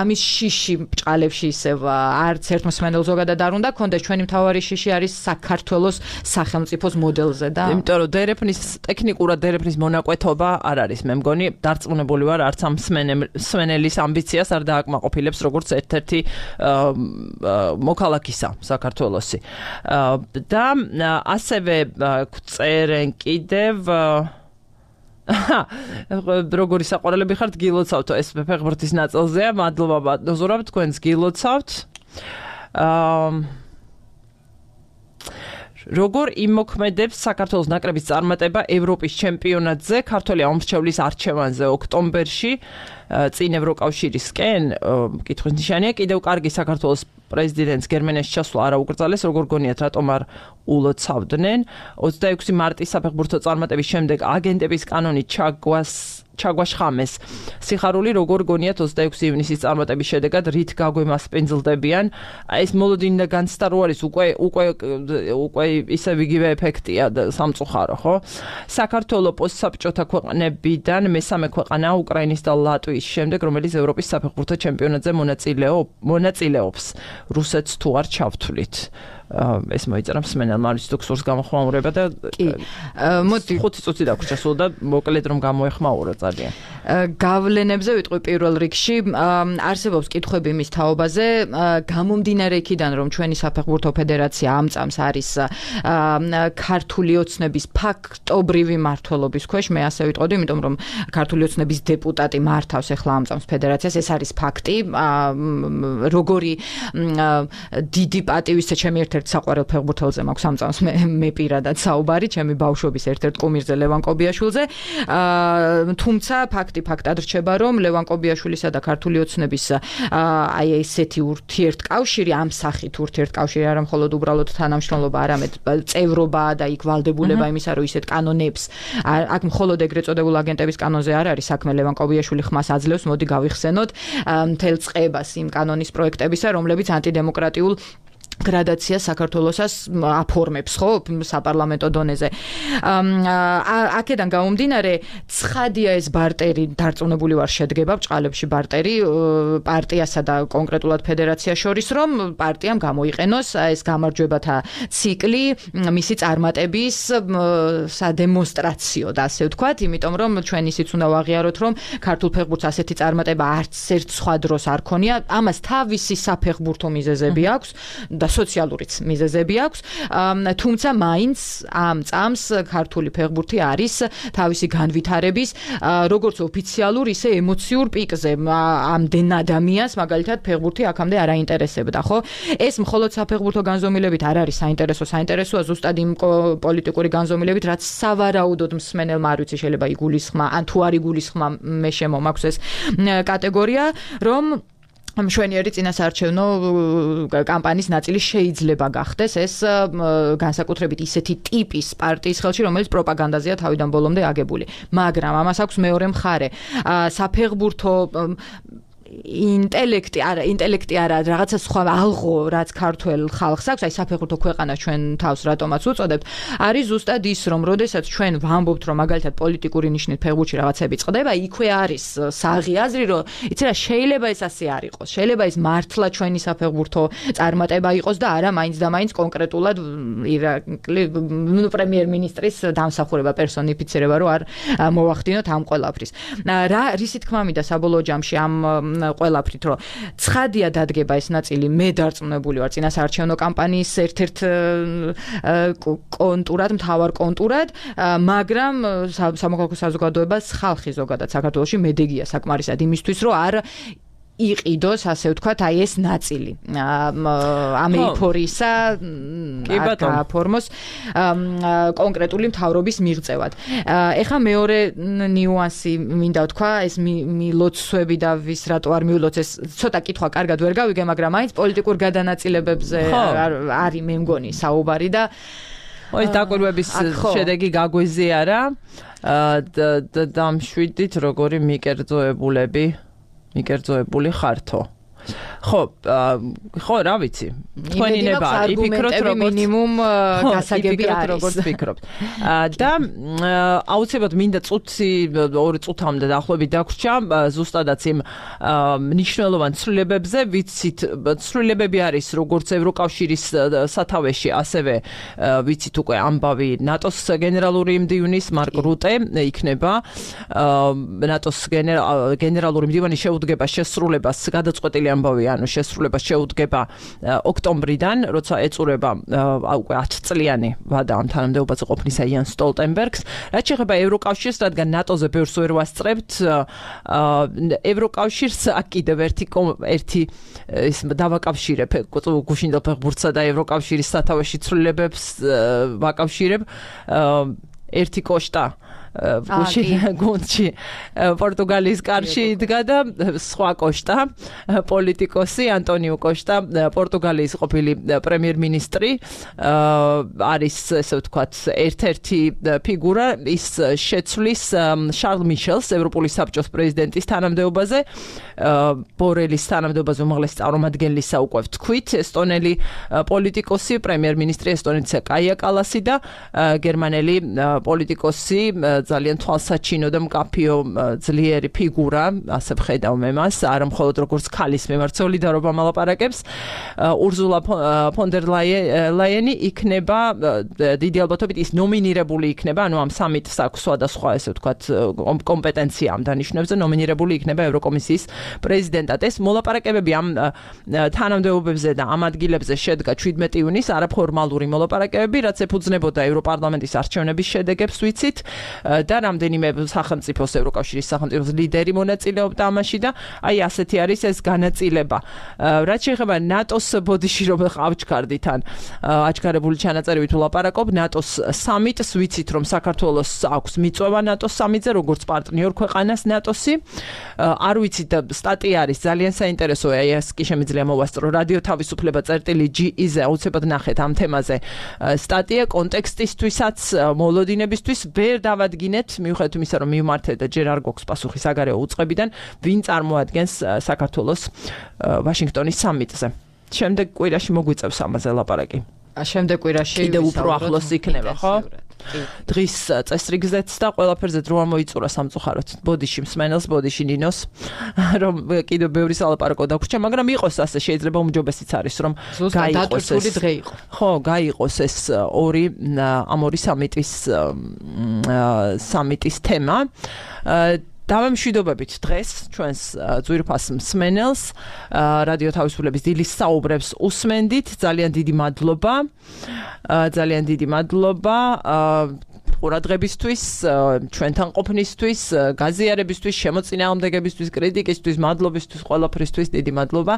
ამის შიში ბჭყალებში ისევ არც ერთ მსმენელს ზოგადად არ უნდა ქონდეს, ჩვენი მთავარი შიში არის საქართველოს სახელმწიფოს მოდელზე და იმიტომ რომ დერეფნის ტექნიკურად დერეფნის მონაკვეთობა არ არის, მე მგონი დარწმუნებული ვარ, არც ამ მსმენელის ამბიციას არ დააკმაყოფილებს როგორც ერთ-ერთი მოქალაქისა საქართველოსი. და ასევე წერენ კიდევ როგორი საყვარელები ხართ გილოცავთ ეს ფეხბურთის ნაწილზეა მადლობა ბატონო თქვენს გილოცავთ როგორ იმოქმედებს საქართველოს ნაკრების წარმატება ევროპის ჩემპიონატზე ქართველი ამომრჩევლის არჩევანზე ოქტომბერში წინ ევროკავშირისკენ კითხვის ნიშანია კიდევ კარგი საქართველოს პრეზიდენტს გერმანიაში ჩასვლა არ აუკრძალეს როგორ გონიათ რატომ არ ულოცავდნენ 26 მარტის საფეხბურთო წარმატების შემდეგ აგენტების კანონი ჩაგვაშხამეს სიხარული როგორ გონიათ 26 ივნისის წარმატების შედეგად რით გაგვემასპინძლდებიან ეს მოლოდინი და განცდა რო არის უკვე ისე ვიგივე ეფექტია სამწუხარო ხო საქართველოს პოსტსაბჭოთა ქვეყნებიდან მესამე ქვეყანაა უკრაინის და ლატვიის შემდეგ რომელიც ევროპის საფეხბურთო ჩემპიონატზე მონაწილეობს რუსეთს თუ არ ჩავთვლით ეს მოიწერა მსმენელმა არის დოქტორს გამოხმაურება და მოდი 5 წუთი დაგვრჩა სულ და მოკლედ რომ გამოეხმაურა ძალიან გავლენებზე ვიტყვი პირველ რიგში არსებობს კითხვები მის თაობაზე გამომდინარე იქიდან რომ ჩვენი საფეხბურთო ფედერაცია ამ წამს არის ქართული ოცნების ფაქტობრივი მმართველობის ქვეშ მე ასე ვიტყოდი იმიტომ რომ ქართული ოცნების დეპუტატი მართავს ახლა ამ წამს ფედერაციას ეს არის ფაქტი როგორი დიდი პატივისცემა ჩემი ერთ-ერთ საყვარელ ფეხბურთელზე მაქვს ამ წამს მე პირადად საუბარი ჩემი ბავშვობის ერთ-ერთ კუმირზე ლევან კობიაშვილზე თუმცა ფაქტად რჩება რომ ლევან კობიაშვილისა და ქართული ოცნების აი ესეთი ურთიერთკავშირი ამ სახით ურთიერთკავშირი არა მხოლოდ უბრალოდ თანამშრომლობა არამედ წევრობა და იქ ვალდებულება იმისა რომ ისეთ კანონებს აქ მხოლოდ ეგრეთ წოდებულ აგენტების კანონზე არ არის საქმე ლევან კობიაშვილი ხმას აძლევს მოდი გავიხსენოთ მთელ წყებას იმ კანონის პროექტებისა რომლებიც ანტიდემოკრატიულ გრადაცია საქართველოსას აფორმებს ხო საპარლამენტო დონეზე აქედან გამომდინარე ცხადია ეს ბარტერი დარწმუნებული ვარ შედგება ბჭყალებში ბარტერი პარტიასა და კონკრეტულად ფედერაციას შორის რომ პარტიამ გამოიყენოს ეს გამარჯვებათა ციკლი მისი წარმატების სადემონსტრაციო და ასე ვთქვათ იმიტომ რომ ჩვენ ისიც უნდა ვაღიაროთ რომ ქართულ ფეხბურთს ასეთი წარმატება არც ერთ სხვა დროს არ ქონია ამას თავისი საფეხბურთო მიზეზები აქვს და სოციალურიც მიზეზები აქვს თუმცა მაინც ამ წამს ქართული ფეხბურთი არის თავისი განვითარების როგორც ოფიციალურ ისე ემოციურ პიკზე ამდენ ადამიანს მაგალითად ფეხბურთი აქამდე არ აინტერესებდა ხო ეს მხოლოდ საფეხბურთო განზომილებით არ არის საინტერესოა ზუსტად იმ პოლიტიკური განზომილებით რაც სავარაუდოდ მსმენელმა არ ვიცი შეიძლება იგულისხმა ან თუ არ იგულისხმა მე შემომაქვს ეს კატეგორია რომ მშვენიერი წინასაარჩევნო კამპანიის ნაწილი შეიძლება გახდეს ეს განსაკუთრებით ისეთი ტიპის პარტიის ხელში რომელიც პროპაგანდაზეა თავიდან ბოლომდე აგებული მაგრამ ამას აქვს მეორე მხარე საფეხბურთო ინტელექტი არა რაღაცა სხვა ალღო რაც ქართულ ხალხს აქვს აი საფეხბურთო ქვეყანა ჩვენ თავს რატომაც უწოდებთ არის ზუსტად ის რომ როდესაც ჩვენ ვამბობთ რომ მაგალითად პოლიტიკური ნიშნით ფეხბურთში რაღაცები წყდება იქვე არის საღი აზრი რომ იცი რა შეიძლება ეს ასე არ იყოს შეიძლება ეს მართლა ჩვენი საფეხბურთო წარმატება იყოს და არა მაინც და მაინც კონკრეტულად პრემიერ-მინისტრის დამსახურება პერსონიფიცირება რომ არ მოვახდინოთ ამ ყველაფრის რა რისი თქმა მინდა საბოლოო ჯამში ამ ყველაფრით რომ ცხადია დადგება ეს ნაწილი მე დარწმუნებული ვარ წინასაარჩევნო კამპანიის ერთ-ერთ კონტურად მთავარ კონტურად მაგრამ სამოქალაქო საზოგადოებას ხალხი ზოგადად საქართველოში მედეგია საკმარისად იმისთვის რომ არ იყიდოს ასე ვთქვათ აი ეს ნაწილი ამ ეიფორიისა აფორმოს კონკრეტული მთავრობის მიღწევად ეხა მეორე ნიუანსი მინდა ვთქვა ეს მილოცვები და ვის რატო არ მიულოცეს ცოტა კითხვა კარგად ვერ გავიგე მაგრამ მაინც პოლიტიკურ გადანაწილებებზე არის მე მგონი საუბარი და ეს დაკვირვების შედეგი გაგვეზიარა დამშვიდით როგორი მიკერძოებული ხართო ხო რა ვიცი თქვენი ნება იფიქროთ როგორც მინიმუმ გასაგები არის როგორც ფიქრობთ და აუცილებლად მინდა წუთი 2 წუთამდე დაახლოებით დაგვრჩა ზუსტადაც იმ მნიშვნელოვან ცვლილებებზე ვიცით ცვლილებები არის როგორც ევროკავშირის სათავეში ასევე ვიცით უკვე ამბავი ნატოს გენერალური მდივნის მარკ რუტე იქნება ნატოს გენერალური მდივანი შეუდგება შესრულებას გადაწყვეტილი ამბავი, ანუ შესრულება შეუდგება ოქტომბრიდან, როცა ეწურება უკვე 10 წლიანი ვადა ამ თანამდებობაზე ყოფნისა იან სტოლტენბერგს. რაც შეეხება ევროკავშირს, რადგან ნატოზე ბევრს ვერ ვასწრებთ, ევროკავშირს აქ კიდევ ერთი ის დავაკავშირებ გუშინდელ ფეხბურთსა და ევროკავშირის სათავეში ცვლილებებს ვაკავშირებ. ერთი კოშტა გუნდში პორტუგალიის კარში იდგა და სხვა კოშტა პოლიტიკოსი ანტონიო კოშტა პორტუგალიის ყოფილი პრემიერ-მინისტრი არის ესე ვთქვათ ერთ-ერთი ფიგურა ის შეცვლის შარლ მიშელს ევროპული საბჭოს პრეზიდენტის თანამდებობაზე ბორელის თანამდებობაზე უმაღლესი წარმომადგენლისა უკვე ვთქვით ესტონელი პოლიტიკოსი პრემიერ-მინისტრი ესტონეთისა კაია კალასი და გერმანელი პოლიტიკოსი ძალიან თვალსაჩინო და მკაფიო ძლიერი ფიგურა, ასე ვხედავ მე მას, არა მხოლოდ როგორც ქალის მიმართ სოლიდარობა მალაპარაკებს. ურზულა ფონ დერ ლაიენი იქნება დიდი ალბათობით ის ნომინირებული იქნება, ანუ ამ სამიტს აქვს სხვადასხვა ესე ვთქვათ კომპეტენცია ამ დანიშნულებზე, ნომინირებული იქნება ევროკომისიის პრეზიდენტად. ეს მოლაპარაკებები ამ თანამდებობებზე და ამ ადგილებზე შედგა 17 ივნისს, არაფორმალური მოლაპარაკებები, რაც ეფუძნებოდა ევროპარლამენტის არჩევნების შედეგებს, ვიცით. და რამდენიმე სახელმწიფოს ევროკავშირის სახელმწიფოს ლიდერი მონაწილეობდა ამაში და აი ასეთი არის ეს განაწილება. რაც შეეხება ნატოს ბოდიში რომ ავჩქარდით ან აჩქარებული ჩანაწერივით ვლაპარაკობ ნატოს სამიტს ვიცით რომ საქართველოს აქვს მიწვევა ნატოს სამიტზე როგორც პარტნიორ ქვეყანას ნატოსი. არ ვიცით სტატია არის ძალიან საინტერესოა აი ეს კი შემიძლია მოვასწრო რადიო თავისუფლება წერტილი.ge-ზე აუცილებლად ნახეთ ამ თემაზე სტატია კონტექსტისთვისაც მოლოდინებისთვის ვერ დავადგინეთ მიუხედავად იმისა რომ მიმართეთ და ჯერ არ გვაქვს პასუხი საგარეო უწყებიდან ვინ წარმოადგენს საქართველოს ვაშინგტონის სამიტზე. შემდეგ კვირაში მოგვიწევს ამაზე ლაპარაკი. შემდეგ კვირაში კიდევ უფრო ახლოს იქნება, ხო? დღის წესრიგზეც და ყველაფერზე დრო ამოიწურა სამწუხაროდ. ბოდიში მსმენელს, ბოდიში ნინოს, რომ კიდევ ბევრი სალაპარაკო დაგვრჩა, მაგრამ იყოს ასე შეიძლება უმჯობესიც არის, რომ გაიყოს ეს დღე იყო. ხო, გაიყოს ეს ამ ორი სამიტის თემა. დავემშვიდობებით დღეს ჩვენს ძვირფას მსმენელს რადიო თავისუფლების დილის საუბრებს უსმენდით ძალიან დიდი მადლობა ყურადღებისთვის ჩვენთან ყოფნისთვის გაზიარებისთვის შემოწინააღმდეგებისთვის კრიტიკისთვის მადლობისთვის ყველაფრისთვის დიდი მადლობა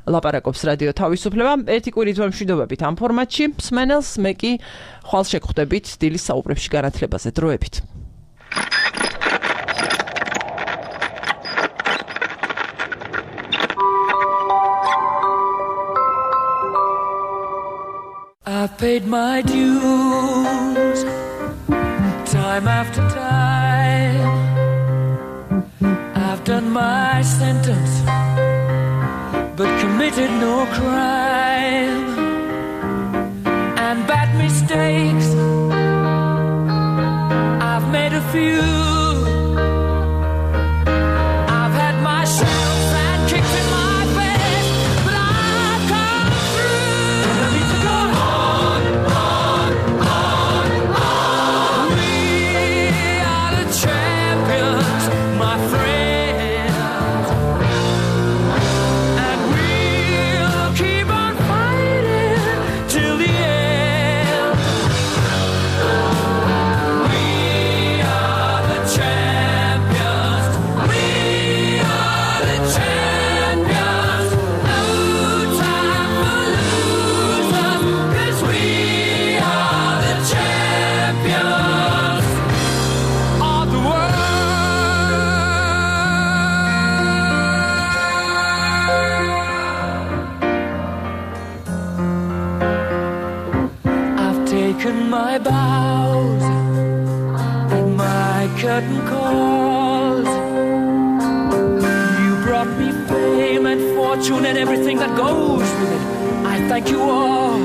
ლაპარაკობს რადიო თავისუფლება ერთი კვირით ვემშვიდობებით ამ ფორმატში მსმენელს მე კი ხვალ შეგხვდებით დილის საუბრებში განათლებაზე დროებით I've paid my dues time after time I've done my sentence but committed no crime and bad mistakes I've made a few I've had my shells and kicks in my face but I've come through and I need to go my bows and my curtain calls you brought me fame and fortune and everything that goes with it I thank you all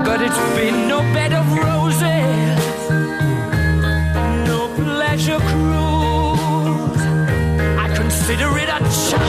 but it's been no bed of roses no pleasure cruise I consider it a challenge